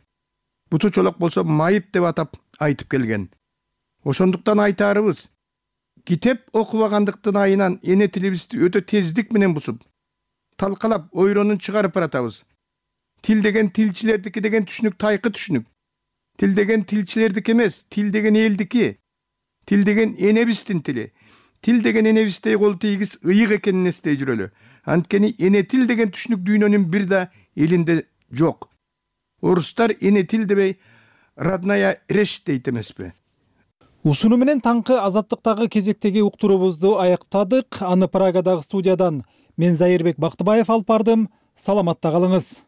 буту чолок болсо майып деп атап айтып келген. Ошондуктан айтаарыбыз, китеп окубагандыктын айынан эне тилибизди өтө тездик менен бузуп, талкалап ойронун чыгарып баратабыз. Тил деген тилчилердики деген түшүнүк тайкы түшүнүк. Тил деген тилчилердики эмес, тил деген элдики. Тил деген энебиздин тили. Тил деген энебиздей кол тийгиз ыйык экенин эстей жүрөлү. Анткени эне тил деген түшүнүк дүйнөнүн бир да элинде жок. Орустар эне тил дебей родная речь дейт эмеспи? Ушуну менен таңкы азаттыктагы кезектеги уктуруубузду аяктадык. Аны Прагадагы студиядан мен Зайырбек Бактыбаев алып бардым. Саламатта калыңыз.